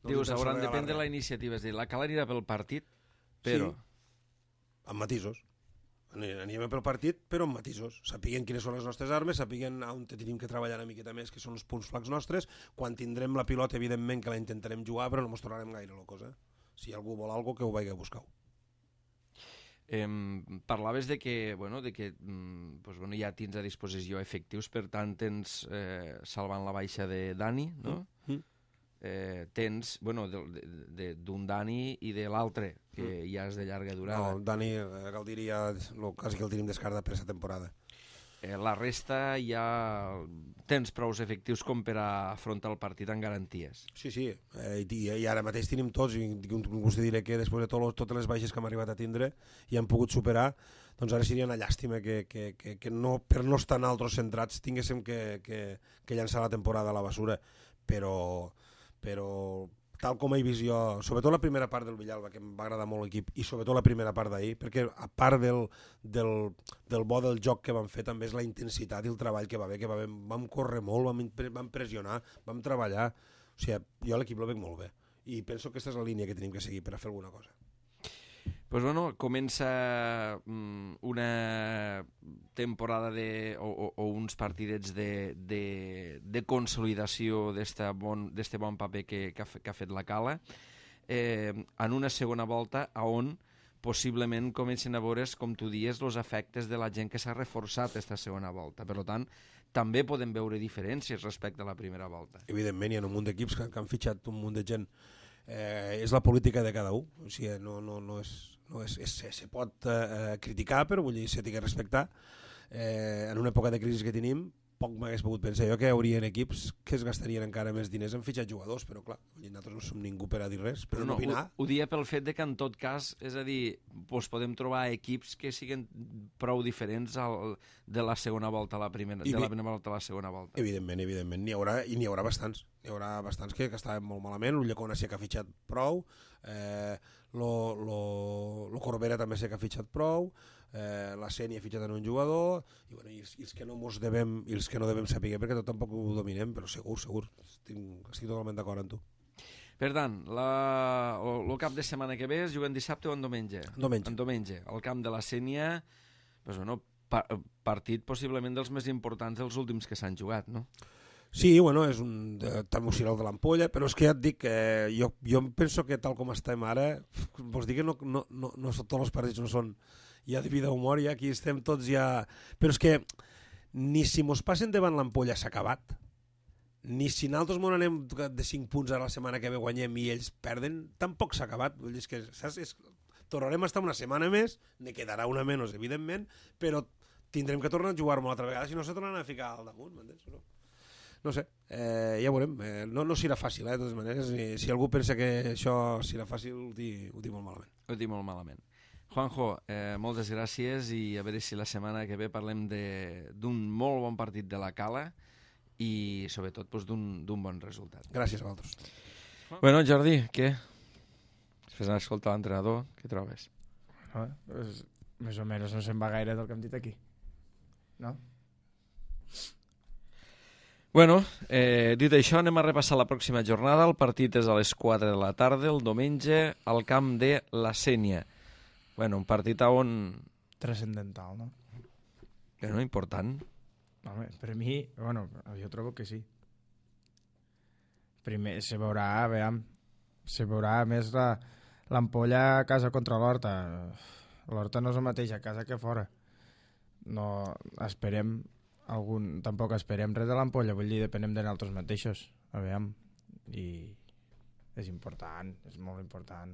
[SPEAKER 3] No
[SPEAKER 1] Dius, hauran de prendre la iniciativa, és a dir, la Cala anirà pel partit, però...
[SPEAKER 3] Sí, amb matisos. Anirem pel partit, però amb matisos. Sapiguem quines són les nostres armes, sapiguem on tenim que treballar una miqueta més, que són els punts flacs nostres. Quan tindrem la pilota, evidentment que la intentarem jugar, però no ens tornarem gaire la cosa. Si algú vol alguna cosa, que ho vagi a buscar.
[SPEAKER 1] Eh, parlaves de que, bueno, de que pues, bueno, ja tens a disposició efectius, per tant tens, eh, salvant la baixa de Dani, no? Mm. Eh, tens, bueno, d'un Dani i de l'altre, que mm. ja és de llarga durada.
[SPEAKER 3] No, Dani, eh, cal dir, ja, lo, quasi que el tenim descartat per aquesta temporada.
[SPEAKER 1] Eh, la resta ja tens prou efectius com per a afrontar el partit amb garanties.
[SPEAKER 3] Sí, sí, eh, i, i ara mateix tenim tots, i us diré que després de tot, totes les baixes que hem arribat a tindre i hem pogut superar, doncs ara seria una llàstima que, que, que, que no, per no estar en altres centrats tinguéssim que, que, que llançar la temporada a la basura, però, però tal com he vist jo, sobretot la primera part del Villalba, que em va agradar molt l'equip, i sobretot la primera part d'ahir, perquè a part del, del, del bo del joc que vam fer, també és la intensitat i el treball que va haver, que va haver, vam córrer molt, vam, vam pressionar, vam treballar, o sigui, jo a l'equip lo veig molt bé, i penso que aquesta és la línia que tenim que seguir per a fer alguna cosa.
[SPEAKER 1] Pues bueno, comença um, una temporada de, o, o, o uns partidets de, de, de consolidació d'este bon, bon paper que, que, ha, que ha fet la Cala, eh, en una segona volta on possiblement comencen a veure's, com tu dies, els efectes de la gent que s'ha reforçat aquesta segona volta. Per tant, també podem veure diferències respecte a la primera volta.
[SPEAKER 3] Evidentment, hi ha un munt d'equips que, que han fitxat un munt de gent. Eh, és la política de cada un, o sigui, no, no, no és... No és, és, se pot eh, criticar, però vull dir, se té que respectar. Eh, en una època de crisi que tenim, poc m'hagués pogut pensar jo que hi haurien equips que es gastarien encara més diners en fitxar jugadors, però clar, nosaltres no som ningú per a dir res, però no, no opinar.
[SPEAKER 1] Ho, ho dia pel fet de que en tot cas, és a dir, doncs podem trobar equips que siguin prou diferents al, de la segona volta a la primera, I de la primera volta a la segona volta.
[SPEAKER 3] Evidentment, evidentment, n'hi haurà, i n'hi haurà bastants. N'hi haurà bastants que, que estaven molt malament, l'Ulldecona sí que ha fitxat prou, eh, lo, lo, lo Corbera també sí que ha fitxat prou, eh, la Sénia ha fitxat en un jugador, i, bueno, i, els, i els que no mos devem, i els que no devem saber, perquè tot tampoc ho dominem, però segur, segur, estic, estic totalment d'acord amb tu.
[SPEAKER 1] Per tant, la, el cap de setmana que ve es juguen dissabte o en diumenge?
[SPEAKER 3] Diumenge.
[SPEAKER 1] En diumenge, al camp de la Sénia, pues, bueno, pa, partit possiblement dels més importants dels últims que s'han jugat, no?
[SPEAKER 3] Sí, bueno, és un termociral de l'ampolla, però és que ja et dic que jo, jo penso que tal com estem ara, vols dir que no, no, no, no són tots els partits, no són ja de vida humor, ja aquí estem tots ja... Però és que ni si mos passen davant l'ampolla s'ha acabat, ni si nosaltres mos anem de cinc punts a la setmana que ve guanyem i ells perden, tampoc s'ha acabat. Vull dir, és que saps? És... tornarem a estar una setmana més, ne quedarà una menys, evidentment, però tindrem que tornar a jugar-me una altra vegada, si no se tornaran a ficar al damunt, m'entens? No? No sé, eh, ja veurem. Eh, no, no serà fàcil, eh, de totes maneres. I si algú pensa que això serà fàcil, ho dic, ho dic molt malament.
[SPEAKER 1] Ho dic molt malament. Juanjo, eh, moltes gràcies i a veure si la setmana que ve parlem d'un molt bon partit de la Cala i sobretot doncs, d'un bon resultat.
[SPEAKER 3] Gràcies a vosaltres.
[SPEAKER 1] Bueno, Jordi, què? Després d'escoltar l'entrenador, què trobes?
[SPEAKER 2] No, pues, més o menys no se'n va gaire del que hem dit aquí. No?
[SPEAKER 1] Bueno, eh, dit això, anem a repassar la pròxima jornada. El partit és a les quatre de la tarda, el diumenge, al camp de la Sénia. Bueno, un partit on...
[SPEAKER 2] Transcendental, no?
[SPEAKER 1] Bueno, important.
[SPEAKER 2] Home, per mi, bueno, jo trobo que sí. Primer, se veurà, veiem, se veurà més la, l'ampolla a casa contra l'Horta. L'Horta no és el mateix a casa que fora. No esperem algun... Tampoc esperem res de l'ampolla, vull dir, depenem de nosaltres mateixos. A veure, i és important, és molt important.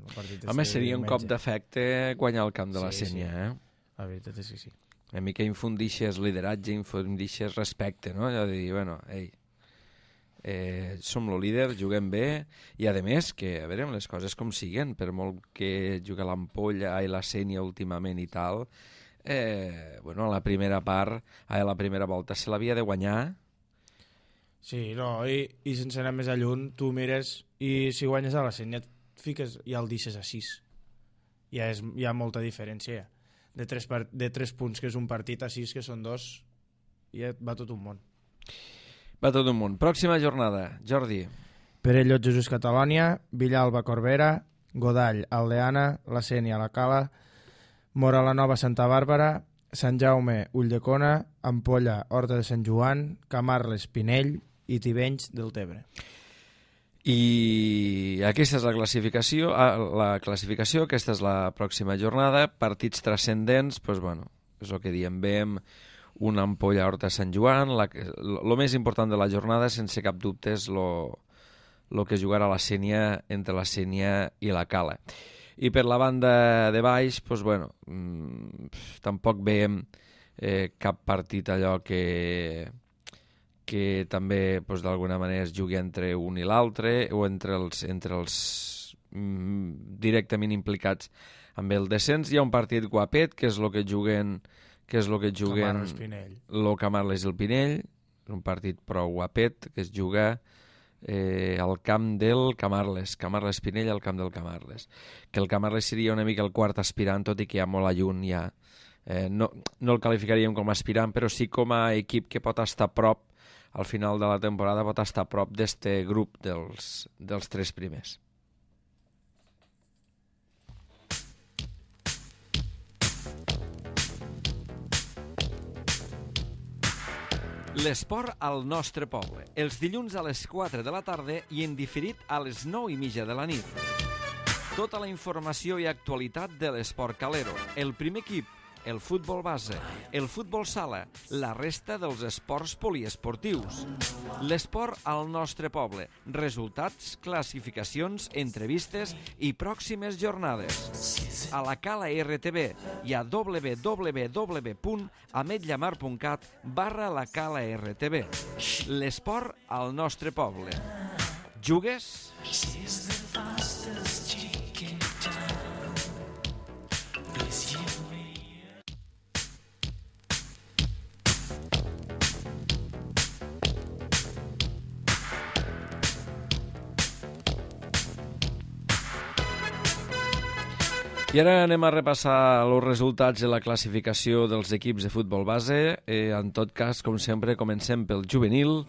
[SPEAKER 1] Home, seria un cop d'efecte guanyar el camp de la
[SPEAKER 2] sí,
[SPEAKER 1] Sénia,
[SPEAKER 2] sí.
[SPEAKER 1] eh?
[SPEAKER 2] La veritat és que sí.
[SPEAKER 1] Una mica infundixes lideratge, infundixes respecte, no? Ja de dir, bueno, ei, eh, som el líder, juguem bé, i a més, que a veure, les coses com siguen, per molt que juga l'ampolla i la Sénia últimament i tal, eh, bueno, a la primera part, a la primera volta se l'havia de guanyar.
[SPEAKER 2] Sí, no, i, i sense anar més a lluny, tu mires i si guanyes a la Sénia et fiques i el deixes a sis. Ja és, hi ha molta diferència. De tres, part, de tres punts, que és un partit, a sis, que són dos, i ja va tot un món.
[SPEAKER 1] Va tot un món. Pròxima jornada, Jordi.
[SPEAKER 2] Perellot, Jesús, Catalònia, Villalba, Corbera, Godall, Aldeana, la Sénia, la Cala, Mora la Nova, Santa Bàrbara, Sant Jaume, Ulldecona, Ampolla, Horta de Sant Joan, Camarles, Pinell i Tivenys del Tebre.
[SPEAKER 1] I aquesta és la classificació, ah, la classificació, aquesta és la pròxima jornada, partits transcendents, doncs bueno, és el que diem, veiem una Ampolla Horta Sant Joan, el més important de la jornada, sense cap dubte, és el que jugarà la Sénia entre la Sénia i la Cala. I per la banda de baix, doncs bueno, mmm, tampoc veiem eh, cap partit allò que... que també doncs, d'alguna manera es jugui entre un i l'altre o entre els, entre els mm, directament implicats amb el descens. Hi ha un partit guapet, que és el que juguen que és el que juguen el Camarles i el Pinell, un partit prou guapet que es juga eh, al camp del Camarles, Camarles-Pinell al camp del Camarles, que el Camarles seria una mica el quart aspirant, tot i que hi ha molt a lluny ja. Eh, no, no el qualificaríem com a aspirant, però sí com a equip que pot estar a prop al final de la temporada, pot estar a prop d'este grup dels, dels tres primers. L'esport al nostre poble. Els dilluns a les quatre de la tarda i en diferit a les nou i mitja de la nit. Tota la informació i actualitat de l'esport calero. El primer equip, el futbol base, el futbol sala, la resta dels esports poliesportius. L'esport al nostre poble. Resultats, classificacions, entrevistes i pròximes jornades. A la Cala R T V i a w w w punt ametllamar punt cat barra la Cala R T V. L'esport al nostre poble. Jugues? I ara anem a repassar els resultats de la classificació dels equips de futbol base. Eh, en tot cas, com sempre, comencem pel juvenil,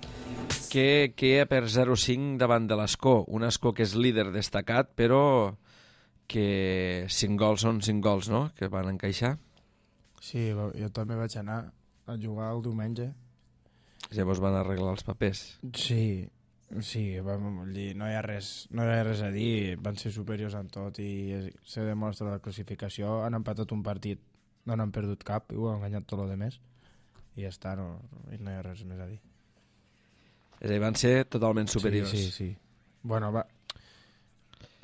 [SPEAKER 1] que queda per zero cinc davant de l'Escó. Un Escó que és líder destacat, però que cinc gols són cinc gols, no?, que van encaixar.
[SPEAKER 2] Sí, jo també vaig anar a jugar el diumenge.
[SPEAKER 1] És Llavors van arreglar els papers.
[SPEAKER 2] Sí, sí, vam dir, no hi ha res, no hi ha res a dir, van ser superiors en tot i se demostra la classificació, han empatat un partit, no n'han perdut cap i ho han guanyat tot el de més i ja està, no, no hi ha res més a dir.
[SPEAKER 1] És a dir, van ser totalment superiors.
[SPEAKER 2] Sí, sí, sí. Bueno, va...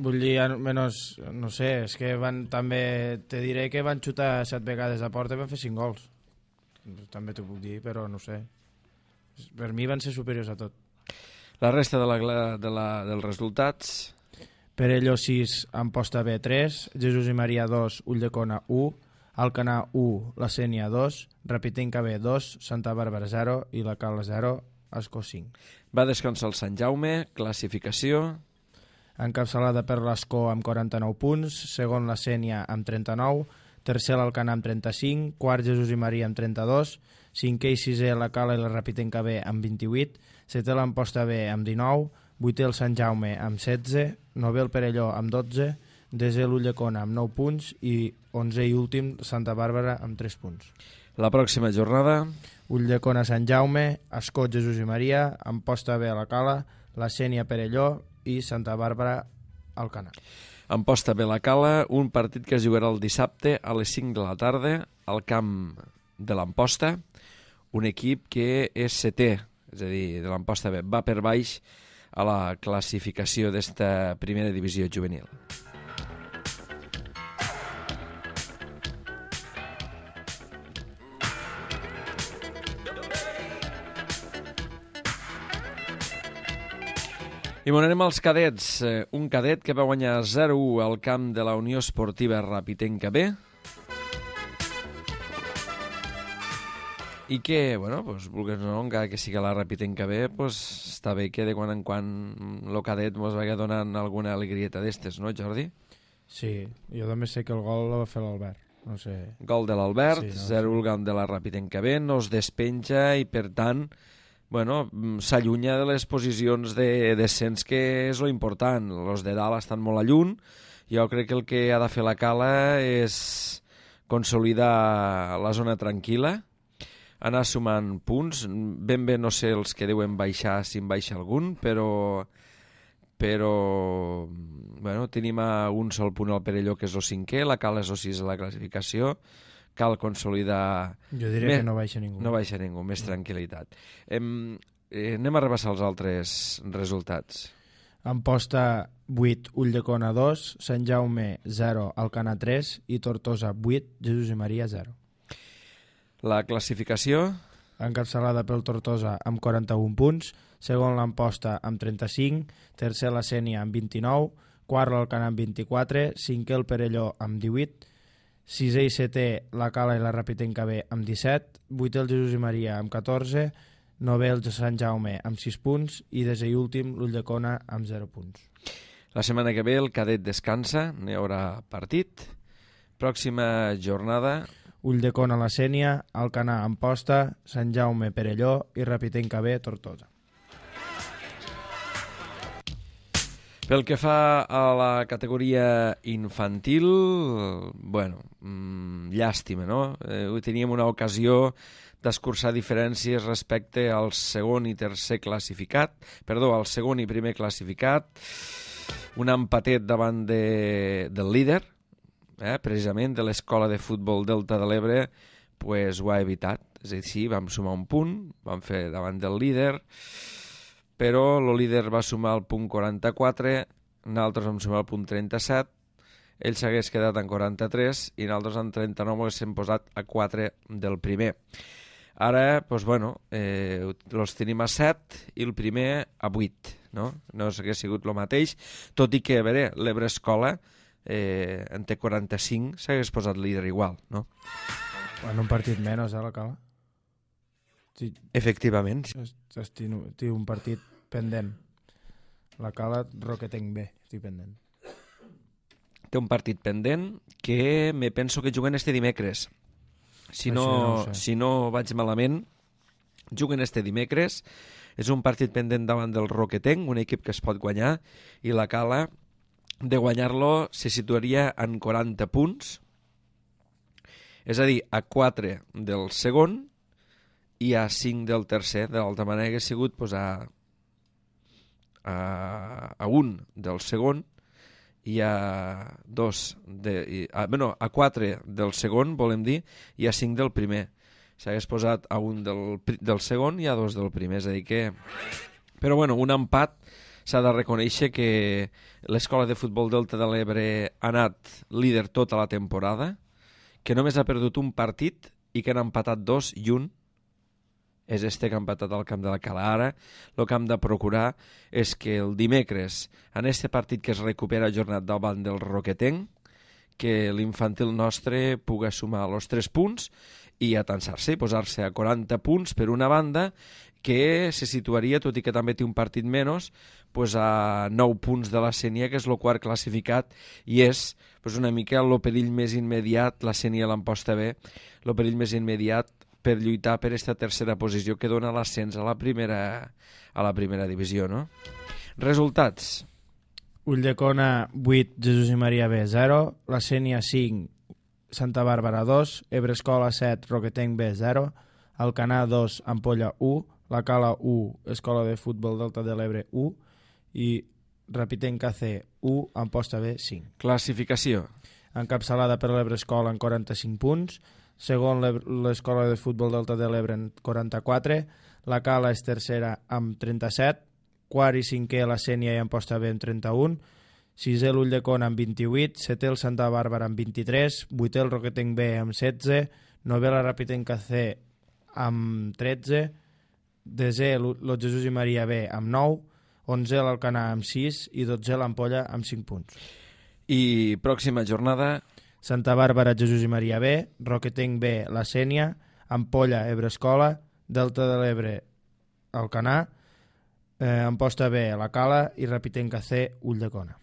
[SPEAKER 2] Vull dir, almenys, no sé, és que van també... Te diré que van xutar set vegades a porta i van fer cinc gols. També t'ho puc dir, però no sé. Per mi van ser superiors a tot.
[SPEAKER 1] La resta de la, de la, dels resultats...
[SPEAKER 2] Perelló sis, Amposta B tres, Jesús i Maria dos, Ulldecona u, Alcanar u, La Sénia dos, Rapitenca B dos, Santa Bàrbara zero i la Cala zero, Ascó cinc.
[SPEAKER 1] Va descansar el Sant Jaume, classificació...
[SPEAKER 2] Encapçalada per l'Ascó amb quaranta-nou punts, segon la Sénia amb trenta-nou, tercer l'Alcanar amb trenta-cinc, quart Jesús i Maria amb trenta-dos, cinquè i sisè la Cala i la Rapitenca B amb vint-i-vuit, setè l'Amposta B amb dinou, vuitè el Sant Jaume amb setze, novè el Perelló amb dotze, desè l'Ulldecona amb nou punts i onzè i últim Santa Bàrbara amb tres punts.
[SPEAKER 1] La pròxima jornada...
[SPEAKER 2] Ulldecona Sant Jaume, Ascó Jesús i Maria, Amposta B a la Cala, la Sénia Perelló i Santa Bàrbara Alcanar.
[SPEAKER 1] Amposta B la Cala, un partit que es jugarà el dissabte a les cinc de la tarda al camp de l'Amposta, un equip que és setè, és a dir, de l'Amposta B, va per baix a la classificació d'esta primera divisió juvenil. I bon, anem als cadets. Un cadet que va guanyar zero a u al camp de la Unió Esportiva Rapitenca B i que, bueno, pues, vulguis o no, encara que sigui la Rapitenca B, pues, està bé que de quan en quan el cadet ens vagi donant alguna alegrieta d'estes, no, Jordi?
[SPEAKER 2] Sí, jo també sé que el gol el va fer l'Albert. No sé.
[SPEAKER 1] Gol de l'Albert,
[SPEAKER 2] sí, no,
[SPEAKER 1] zero
[SPEAKER 2] sí.
[SPEAKER 1] al camp de la Rapitenca B, no es despenja i, per tant, bueno, s'allunya de les posicions de descens, que és lo important. Els de dalt estan molt a lluny. Jo crec que el que ha de fer la Cala és consolidar la zona tranquil·la, anar sumant punts. Ben bé no sé els que deuen baixar, si en baixa algun, però però bueno, tenim a un sol punt al Perelló, que és el cinquè, la Cala és el sis a la classificació. Cal consolidar...
[SPEAKER 2] Jo diria més, que no baixa ningú.
[SPEAKER 1] No baixa ningú, més tranquil·litat. Em, eh, anem a rebassar els altres resultats.
[SPEAKER 2] Amposta vuit, Ulldecona dos, Sant Jaume zero, Alcanar tres i Tortosa vuit, Jesús i Maria zero.
[SPEAKER 1] La classificació...
[SPEAKER 2] Encapçalada pel Tortosa amb quaranta-un punts, segon l'Amposta amb trenta-cinc, tercer la Sénia amb vint-i-nou, quart l'Alcanar amb vint-i-quatre, cinquè el Perelló amb divuit, sisè i setè la Cala i la Rapitenca B amb disset, vuitè el Jesús i Maria amb catorze, novè el Sant Jaume amb sis punts i desè i últim l'Ulldecona amb zero punts.
[SPEAKER 1] La setmana que ve el cadet descansa, n'hi haurà partit. Pròxima jornada...
[SPEAKER 2] Ulldecona la Sénia, Alcanar Amposta, Sant Jaume Perelló i Rapitenca B Tortosa.
[SPEAKER 1] Pel que fa a la categoria infantil, bueno, mmm, llàstima, no? Eh, teníem una ocasió d'escurçar diferències respecte al segon i tercer classificat, perdó, al segon i primer classificat, un empatet davant de, del líder, eh, precisament de l'Escola de Futbol Delta de l'Ebre, pues, ho ha evitat. És a dir, sí, vam sumar un punt, vam fer davant del líder, però el líder va sumar el punt quaranta-quatre, nosaltres vam sumar el punt trenta-set, ell s'hagués quedat en quaranta-tres i nosaltres en trenta-nou haguéssim posat a quatre del primer. Ara, doncs, bueno, eh, els tenim a set i el primer a vuit, no? No s'hagués sigut el mateix, tot i que, a veure, l'Ebre Escola eh, en té quaranta-cinc, s'hagués posat líder igual, no?
[SPEAKER 2] En un partit menys, eh, la Cala? Sí.
[SPEAKER 1] Efectivament.
[SPEAKER 2] Té un partit pendent. La Cala, Roquetenc B, estic pendent.
[SPEAKER 1] Té un partit pendent que me penso que juguen este dimecres. Si no, no sé. si no vaig malament, juguen este dimecres. És un partit pendent davant del Roquetenc, un equip que es pot guanyar, i la Cala, de guanyar-lo, se situaria en quaranta punts, és a dir, a quatre del segon i a cinc del tercer. De l'altra manera que ha sigut pues, a, a, a un del segon i a dos de, i, a, bueno, a quatre del segon, volem dir, i a cinc del primer. S'hagués posat a un del, del segon i a dos del primer, és a dir que... Però bueno, un empat s'ha de reconèixer que l'Escola de Futbol Delta de l'Ebre ha anat líder tota la temporada, que només ha perdut un partit i que han empatat dos i un és este que ha empatat al camp de la Cala. Ara el que hem de procurar és que el dimecres, en este partit que es recupera jornat davant del Roquetenc, que l'infantil nostre pugui sumar els tres punts i atansar-se i posar-se a quaranta punts per una banda, que se situaria, tot i que també té un partit menys, pues a nou punts de la Sénia, que és el quart classificat, i és pues una mica el perill més immediat, la Sénia l'emposta bé, el perill més immediat per lluitar per aquesta tercera posició que dona l'ascens a la primera a la primera divisió, no? Resultats.
[SPEAKER 2] Ulldecona vuit, Jesús i Maria B zero, la Sénia cinc, Santa Bàrbara dos, Ebre Escola set, Roquetenc B zero, Alcanar dos, Ampolla u, la Cala u, Escola de Futbol Delta de l'Ebre u i Rapitenc A C u, Amposta B cinc.
[SPEAKER 1] Classificació.
[SPEAKER 2] Encapçalada per l'Ebre Escola en quaranta-cinc punts, segon l'Escola de Futbol Delta de l'Ebre en quaranta-quatre, la Cala és tercera amb trenta-set, quart i cinquè la Sénia i Amposta B amb trenta-un, sisè l'Ulldecona amb vint-i-vuit, setè el Santa Bàrbara amb vint-i-tres, vuitè el Roquetenc B amb setze, novè la Rapitenc A C amb tretze, desè el Jesús i Maria B amb nou, onzè l'Alcanar amb sis i dotzè l'Ampolla amb cinc punts.
[SPEAKER 1] I pròxima jornada...
[SPEAKER 2] Santa Bàrbara, Jesús i Maria B, Roquetenc B, la Sénia, Ampolla, Ebre Escola, Delta de l'Ebre, Alcanar, eh, Amposta B, la Cala i Rapitenc A C, Ulldecona.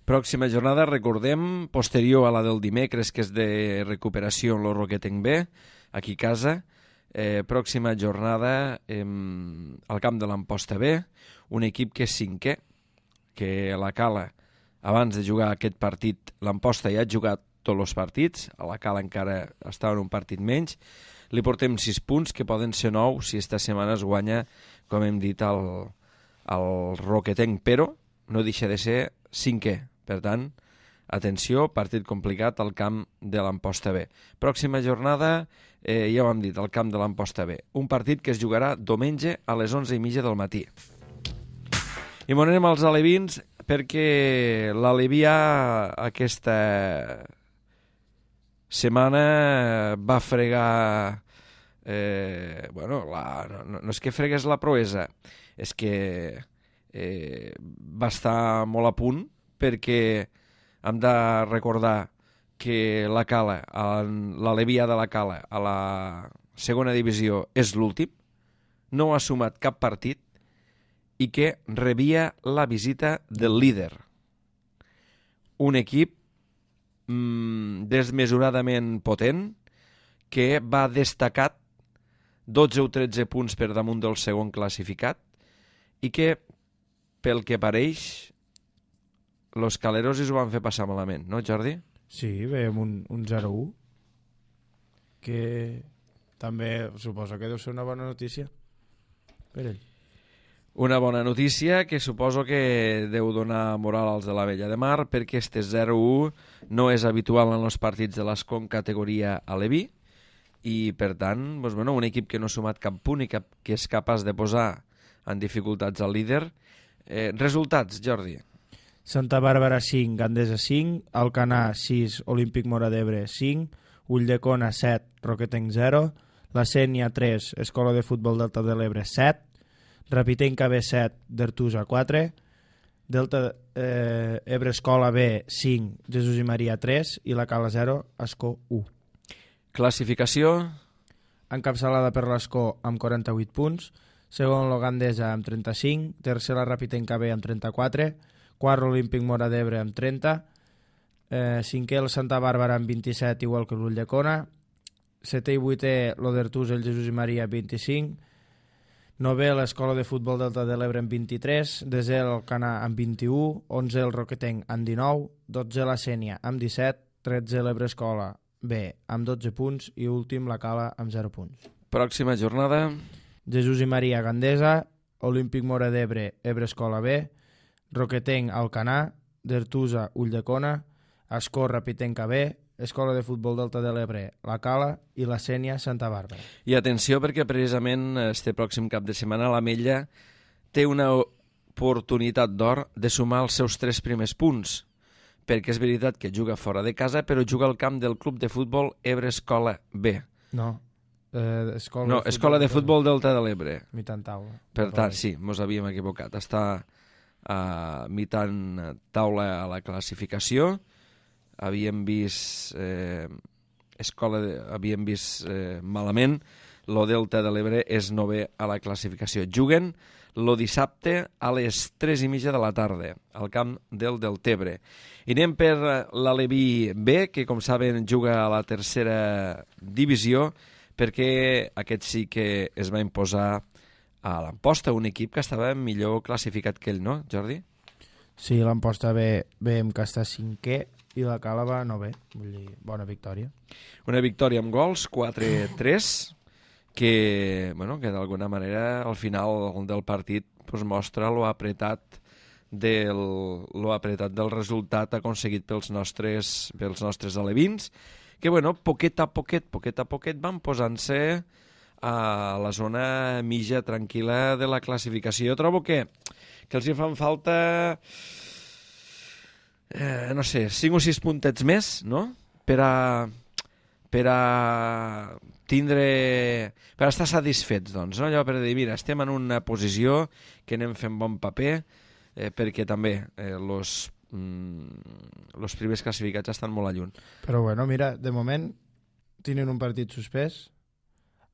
[SPEAKER 1] Pròxima jornada, recordem, posterior a la del dimecres, que és de recuperació en el Roquetenc B, aquí a casa. Eh, pròxima jornada eh, al camp de l'Amposta B, un equip que és cinquè, que la Cala, abans de jugar aquest partit, l'Amposta ja ha jugat tots els partits, a la Cala encara estava en un partit menys, li portem sis punts, que poden ser nou si esta setmana es guanya, com hem dit, el, el Roquetenc, però no deixa de ser cinquè. Per tant, atenció, partit complicat al camp de l'Amposta B. Pròxima jornada, eh, ja ho hem dit, al camp de l'Amposta B. Un partit que es jugarà diumenge a les onze i mitja del matí. I m'anem als alevins perquè l'Alevià aquesta setmana va fregar... Eh, bueno, la, no, no és que fregués la proesa, és que eh, va estar molt a punt, perquè hem de recordar que la Cala, l'Alevià de la Cala a la segona divisió és l'últim, no ha sumat cap partit i que rebia la visita del líder. Un equip mmm, desmesuradament potent que va destacat dotze o tretze punts per damunt del segon classificat i que, pel que pareix, los calerosis ho van fer passar malament, no, Jordi?
[SPEAKER 2] Sí, veiem un, un zero u, que també suposo que deu ser una bona notícia per ell.
[SPEAKER 1] Una bona notícia que suposo que deu donar moral als de la Vella de Mar, perquè este zero u no és habitual en els partits de l'Escon categoria aleví, i per tant, doncs, bueno, un equip que no ha sumat cap punt i cap, que és capaç de posar en dificultats al líder. Eh, resultats, Jordi?
[SPEAKER 2] Santa Bàrbara cinc, Gandesa cinc, Alcanar sis, Olímpic Móra d'Ebre cinc, Ulldecona set, Roquetenc zero, la Sénia tres, Escola de Futbol Delta de l'Ebre set, Rapitenc A B set, d'Artusa quatre, Delta eh, Ebre Escola B cinc, Jesús i Maria tres i la Cala zero, Escó u.
[SPEAKER 1] Classificació.
[SPEAKER 2] Encapçalada per l'Escó amb quaranta-vuit punts, segon la Gandesa amb trenta-cinc, tercer la Rapitenc A B amb trenta-quatre, quart l'Olímpic Móra d'Ebre amb trenta, eh, cinquè el Santa Bàrbara amb vint-i-set, igual que l'Ulldecona, setè i vuitè l'Odertusa, el Jesús i Maria amb vint-i-cinc, novè l'Escola de Futbol Delta de l'Ebre amb vint-i-tres, desè l'Alcanar amb vint-i-u, onzè el Roquetenc amb dinou, dotzè la Sénia amb disset, tretzè l'Ebre Escola B amb dotze punts i últim la Cala amb zero punts.
[SPEAKER 1] Pròxima jornada.
[SPEAKER 2] Jesús i Maria Gandesa, Olímpic Mora d'Ebre, Ebre Escola B, Roquetenc Alcanar, Dertusa Ulldecona, Ascó Rapitenca B, Escola de Futbol d'Alta de l'Ebre, La Cala i la Sénia Santa Bàrbara.
[SPEAKER 1] I atenció perquè precisament este pròxim cap de setmana l'Ametlla té una oportunitat d'or de sumar els seus tres primers punts, perquè és veritat que juga fora de casa, però juga al camp del club de futbol Ebre Escola B.
[SPEAKER 2] No, eh, Escola,
[SPEAKER 1] no,
[SPEAKER 2] de
[SPEAKER 1] Escola de Futbol d'Alta de l'Ebre.
[SPEAKER 2] Mitant taula.
[SPEAKER 1] Per tant, sí, mos havíem equivocat. Està a mitant taula a la classificació. Havíem vist eh, escola de, havíem vist eh, malament. Lo Delta de l'Ebre és novè a la classificació. Juguen lo dissabte a les tres i mitja de la tarda al camp del Deltebre. I anem per l'Aleví B, que com saben juga a la tercera divisió, perquè aquest sí que es va imposar a l'Amposta, un equip que estava millor classificat que ell, no, Jordi?
[SPEAKER 2] Sí, l'Amposta B veiem que està cinquè i la Cala va novè, vull dir, bona victòria.
[SPEAKER 1] Una victòria amb gols, quatre tres, que, bueno, que d'alguna manera al final del partit pues, mostra lo apretat del, lo apretat del resultat aconseguit pels nostres, pels nostres alevins, que, bueno, poquet a poquet, poquet a poquet van posant-se a la zona mitja tranquil·la de la classificació. Jo trobo que, que els hi fan falta, eh, no sé, cinc o sis puntets més, no?, per a, per a tindre, per a estar satisfets, doncs, no? Allò per dir, mira, estem en una posició que anem fent bon paper, eh, perquè també eh, los, mm, los primers classificats estan molt a lluny.
[SPEAKER 2] Però bueno, mira, de moment tenen un partit suspès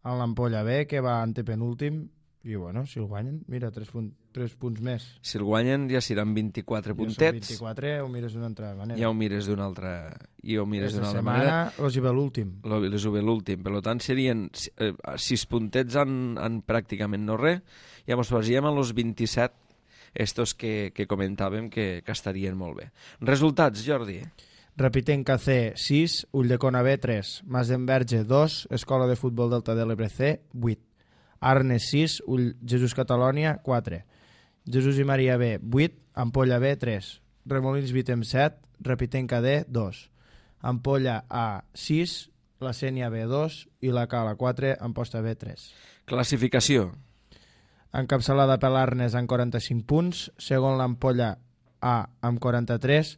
[SPEAKER 2] en l'Ampolla B, que va antepenúltim, i bueno, si el guanyen, mira, tres, punt, tres punts més.
[SPEAKER 1] Si el guanyen ja seran vint-i-quatre puntets.
[SPEAKER 2] vint-i-quatre, ho mires d'una altra manera.
[SPEAKER 1] Ja ho mires d'una altra, i ho mires d'una altra
[SPEAKER 2] setmana,
[SPEAKER 1] manera.
[SPEAKER 2] els hi ve l'últim.
[SPEAKER 1] Les ho ve l'últim. Per tant, serien eh, sis puntets en, en pràcticament no res. Ja ens posaríem en els vint-i-set, estos que, que comentàvem que, que estarien molt bé. Resultats, Jordi?
[SPEAKER 2] Rapitenca C, sis, Ulldecona B, tres, Mas d'Enverge, dos, Escola de Futbol d'Alta de l'Ebre C, vuit, Arnes, sis, Ull... Jesús Catalònia, quatre, Jesús i Maria B, vuit, Ampolla B, tres, Remolins Vitem, set, Rapitenca D, dos, Ampolla A, sis, la Sénia B, dos i la Cala, quatre, Amposta B, tres.
[SPEAKER 1] Classificació.
[SPEAKER 2] Encapçalada per l'Arnes amb quaranta-cinc punts, segon l'Ampolla A amb quaranta-tres,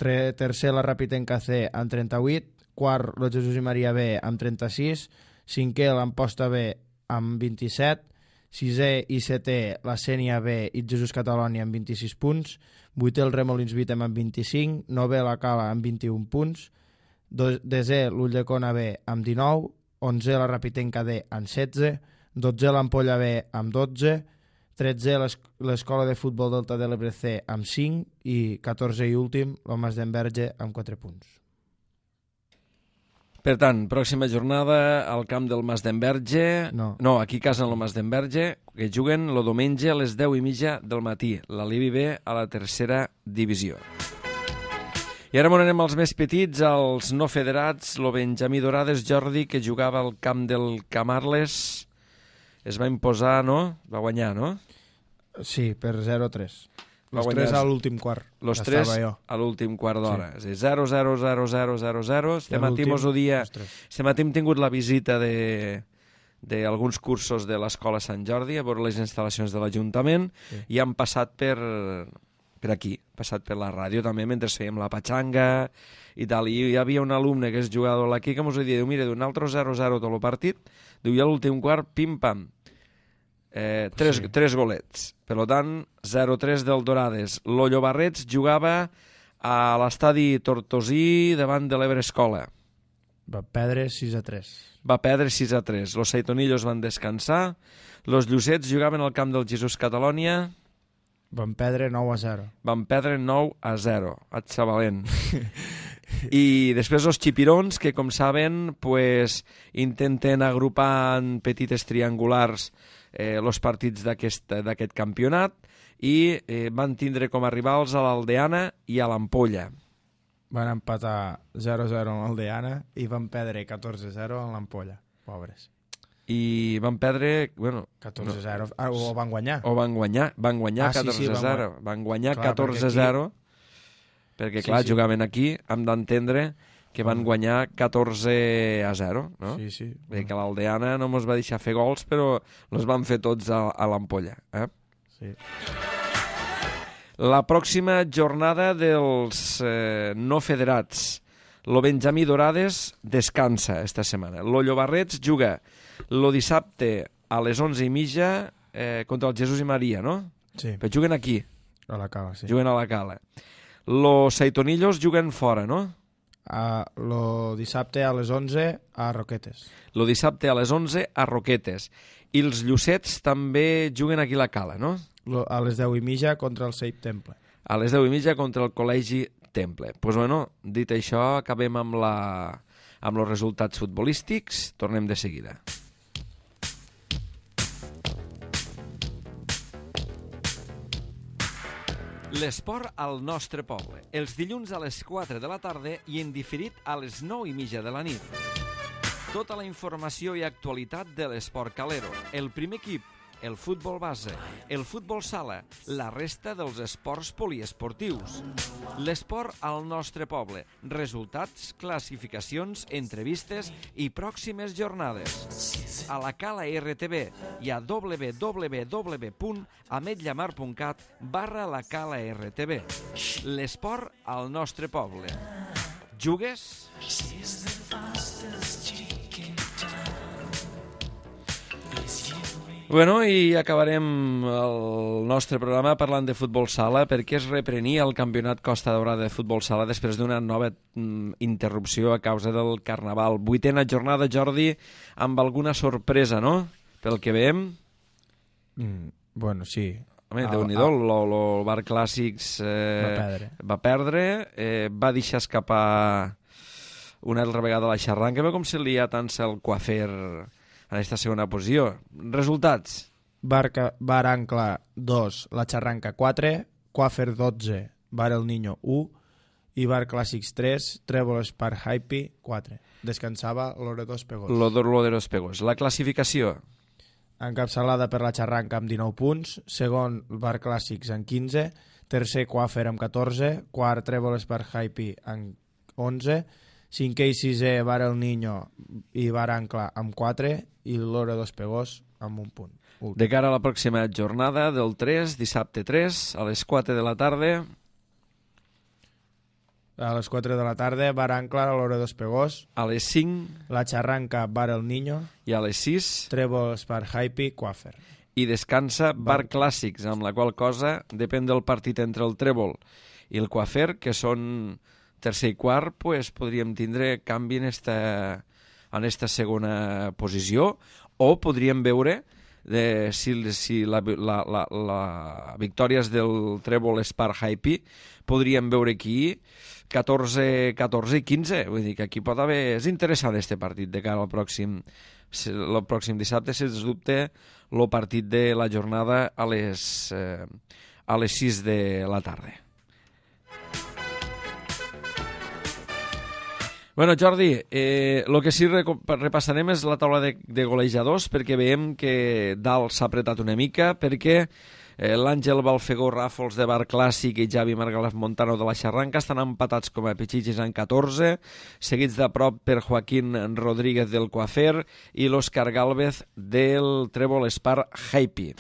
[SPEAKER 2] tercer la Rapitenca C amb trenta-vuit, quart el Jesús i Maria B amb trenta-sis, cinquè l'Amposta B amb vint-i-set, sisè i setè la Sénia B i Jesús Catalònia amb vint-i-sis punts, vuitè el Remolins Vitem amb vint-i-cinc, novè la Cala amb vint-i-un punts, desè l'Ulldecona B amb dinou, onzè la Rapitenca D amb setze, dotzè l'Ampolla B amb dotze, tretzè l'Escola de Futbol d'Alta de l'Ebre C amb cinc i catorzè i últim el Mas d'Enverge amb quatre punts.
[SPEAKER 1] Per tant, pròxima jornada al camp del Mas d'Enverge.
[SPEAKER 2] No.
[SPEAKER 1] No, aquí a casa en el Mas d'Enverge, que juguen el diumenge a les deu i mitja del matí. L'Alivi B a la tercera divisió. I ara anem als més petits, als no federats. El Benjamí Dorades, Jordi, que jugava al camp del Camarles, es va imposar, no? Va guanyar, no?
[SPEAKER 2] Sí, per zero a tres. Los
[SPEAKER 1] guanyar...
[SPEAKER 2] tres a l'últim quart.
[SPEAKER 1] Los tres a l'últim quart d'hora. Sí. zero zero zero zero zero zero. Este matí mos ho dia... Este matí hem tingut la visita de d'alguns cursos de l'Escola Sant Jordi a veure les instal·lacions de l'Ajuntament, sí. I han passat per, per aquí, passat per la ràdio també mentre fèiem la patxanga i tal. I hi havia un alumne que és jugador aquí que mos ho dia, diu, mira, d'un altre zero zero tot el partit, diu, i a l'últim quart, pim-pam, eh, tres, sí. tres golets. Per tant, zero tres del Dorades. Lo Llobarrets jugava a l'estadi Tortosí davant de l'Ebre Escola.
[SPEAKER 2] Va perdre sis a tres.
[SPEAKER 1] Va perdre sis a tres. Los Saitonillos van descansar. Los Llucets jugaven al camp del Jesús Catalònia.
[SPEAKER 2] Van perdre nou a zero.
[SPEAKER 1] Van perdre nou a zero. Atxavalent. I després els xipirons, que com saben pues, intenten agrupar en petites triangulars eh, els partits d'aquest campionat i eh, van tindre com a rivals a l'Aldeana i a l'Ampolla.
[SPEAKER 2] Van empatar zero a zero en l'Aldeana i van perdre catorze a zero en l'Ampolla. Pobres.
[SPEAKER 1] i van perdre... Bueno,
[SPEAKER 2] catorze a zero, no, o van guanyar.
[SPEAKER 1] O van guanyar, van guanyar
[SPEAKER 2] ah,
[SPEAKER 1] catorze a zero. Sí, sí, van guanyar clar, catorze a zero, perquè, aquí... perquè clar, sí, sí. jugaven aquí, hem d'entendre que van guanyar catorze a zero, no?
[SPEAKER 2] Sí, sí.
[SPEAKER 1] Bé, que l'Aldeana no mos va deixar fer gols, però els van fer tots a, a l'ampolla, eh?
[SPEAKER 2] Sí.
[SPEAKER 1] La pròxima jornada dels eh, no federats. Lo Benjamí Dorades descansa esta setmana. Lo Llobarrets juga lo dissabte a les onze i mitja eh, contra el Jesús i Maria, no?
[SPEAKER 2] Sí.
[SPEAKER 1] Però juguen aquí.
[SPEAKER 2] A la Cala, sí.
[SPEAKER 1] Juguen a la Cala. Los Saitonillos juguen fora, no?
[SPEAKER 2] Uh, lo dissabte a les onze a Roquetes.
[SPEAKER 1] Lo dissabte a les onze a Roquetes. I els Llucets també juguen aquí a la Cala, no?
[SPEAKER 2] Lo, a les deu i mitja contra el Seip Temple.
[SPEAKER 1] A les deu i mitja contra el Col·legi Temple. Doncs pues bueno, dit això, acabem amb, la, amb els resultats futbolístics. Tornem de seguida. L'esport al nostre poble. Els dilluns a les quatre de la tarda i en diferit a les nou i mitja de la nit. Tota la informació i actualitat de l'esport calero. El primer equip, el futbol base, el futbol sala, la resta dels esports poliesportius. L'esport al nostre poble. Resultats, classificacions, entrevistes i pròximes jornades. A la Cala R T V i a w w w punt ametlllamar punt cat barra la Cala R T V. L'esport al nostre poble. Jugues? Bueno, i acabarem el nostre programa parlant de futbol sala perquè es reprenia el campionat Costa Daurada de futbol sala després d'una nova mm, interrupció a causa del Carnaval. Vuitena jornada, Jordi, amb alguna sorpresa, no? Pel que veiem.
[SPEAKER 2] Mm, bueno, sí.
[SPEAKER 1] Home, Déu-n'hi-do, el Bar Clàssics eh,
[SPEAKER 2] va perdre,
[SPEAKER 1] va, perdre eh, va deixar escapar una altra vegada la xarranca, com si li ha tant el Coafer en aquesta segona posició. Resultats.
[SPEAKER 2] Barca, Bar Ancla dos, La Xarranca quatre, Coafer dotze, Bar El Niño u i Bar Clàssics tres, Trèvol Spark Hype quatre. Descansava l'Oredo Espegós.
[SPEAKER 1] L'Oredo Espegós. La classificació.
[SPEAKER 2] Encapçalada per La Xarranca amb dinou punts, segon Bar Clàssics amb quinze, tercer Coafer amb catorze, quart Trèvol Spark Hype amb onze, cinquè i sisè Bar El Niño i Bar Ancla amb quatre i l'Oredo Espegós amb un punt. Últim.
[SPEAKER 1] De cara a la pròxima jornada del tres, dissabte tres, a les quatre de la tarda.
[SPEAKER 2] A les quatre de la tarda, Bar Ancla, l'Oredo Espegós.
[SPEAKER 1] A les cinc.
[SPEAKER 2] La Xarranca, Bar El Niño.
[SPEAKER 1] I a les sis.
[SPEAKER 2] Trèvol Spark Hype, Coafer.
[SPEAKER 1] I descansa Bar, Bar Clàssics, amb la qual cosa depèn del partit entre el Trèvol i el Coafer, que són tercer i quart, pues, podríem tindre canvi en esta, en esta segona posició, o podríem veure de, si, si la, la, la, la victòries del Trèvol Spark Hype, podríem veure aquí catorze, catorze i quinze. Vull dir que aquí pot haver... És interessant este partit de cara al pròxim, el pròxim dissabte, sens dubte, el partit de la jornada a les, eh, a les sis de la tarda. Bueno, Jordi, eh, el que sí repassarem és la taula de, de golejadors, perquè veiem que dalt s'ha apretat una mica, perquè eh, l'Àngel Balfegó Ràfols de Bar Clàssic i Javi Margalef Montano de la Xarranca estan empatats com a pitxitxis en catorze, seguits de prop per Joaquín Rodríguez del Coafer i l'Òscar Gálvez del Trèvol Spark Hype.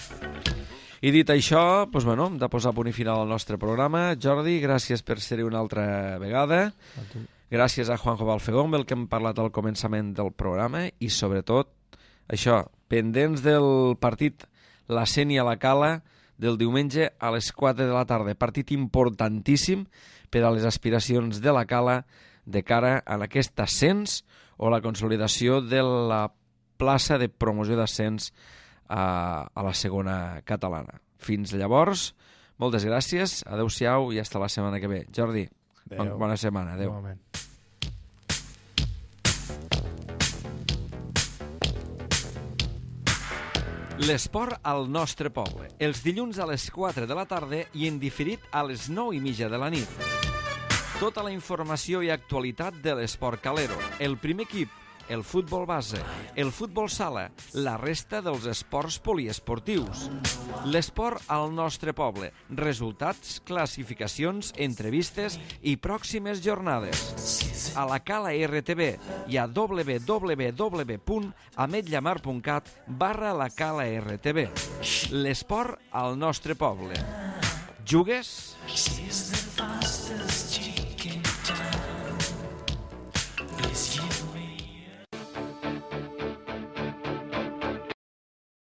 [SPEAKER 1] I dit això, doncs, bueno, hem de posar punt i final al nostre programa. Jordi, gràcies per ser-hi una altra vegada.
[SPEAKER 2] A tu.
[SPEAKER 1] Gràcies a Juanjo Balfegó, amb el que hem parlat al començament del programa, i sobretot, això, pendents del partit La Sénia a la Cala del diumenge a les quatre de la tarda. Partit importantíssim per a les aspiracions de la Cala de cara a aquest ascens o la consolidació de la plaça de promoció d'ascens a, a la segona catalana. Fins llavors, moltes gràcies, adeu-siau i hasta la setmana que ve. Jordi,
[SPEAKER 2] adeu.
[SPEAKER 1] Bona setmana, adeu.
[SPEAKER 2] Igualment.
[SPEAKER 1] L'esport al nostre poble. Els dilluns a les quatre de la tarda i en diferit a les nou i mitja de la nit. Tota la informació i actualitat de l'esport calero. El primer equip, el futbol base, el futbol sala, la resta dels esports poliesportius. L'esport al nostre poble, resultats, classificacions, entrevistes i pròximes jornades. A la Cala R T V i a w w w punt ametlla mar punt cat barra la Cala R T V. L'esport al nostre poble. Jugues?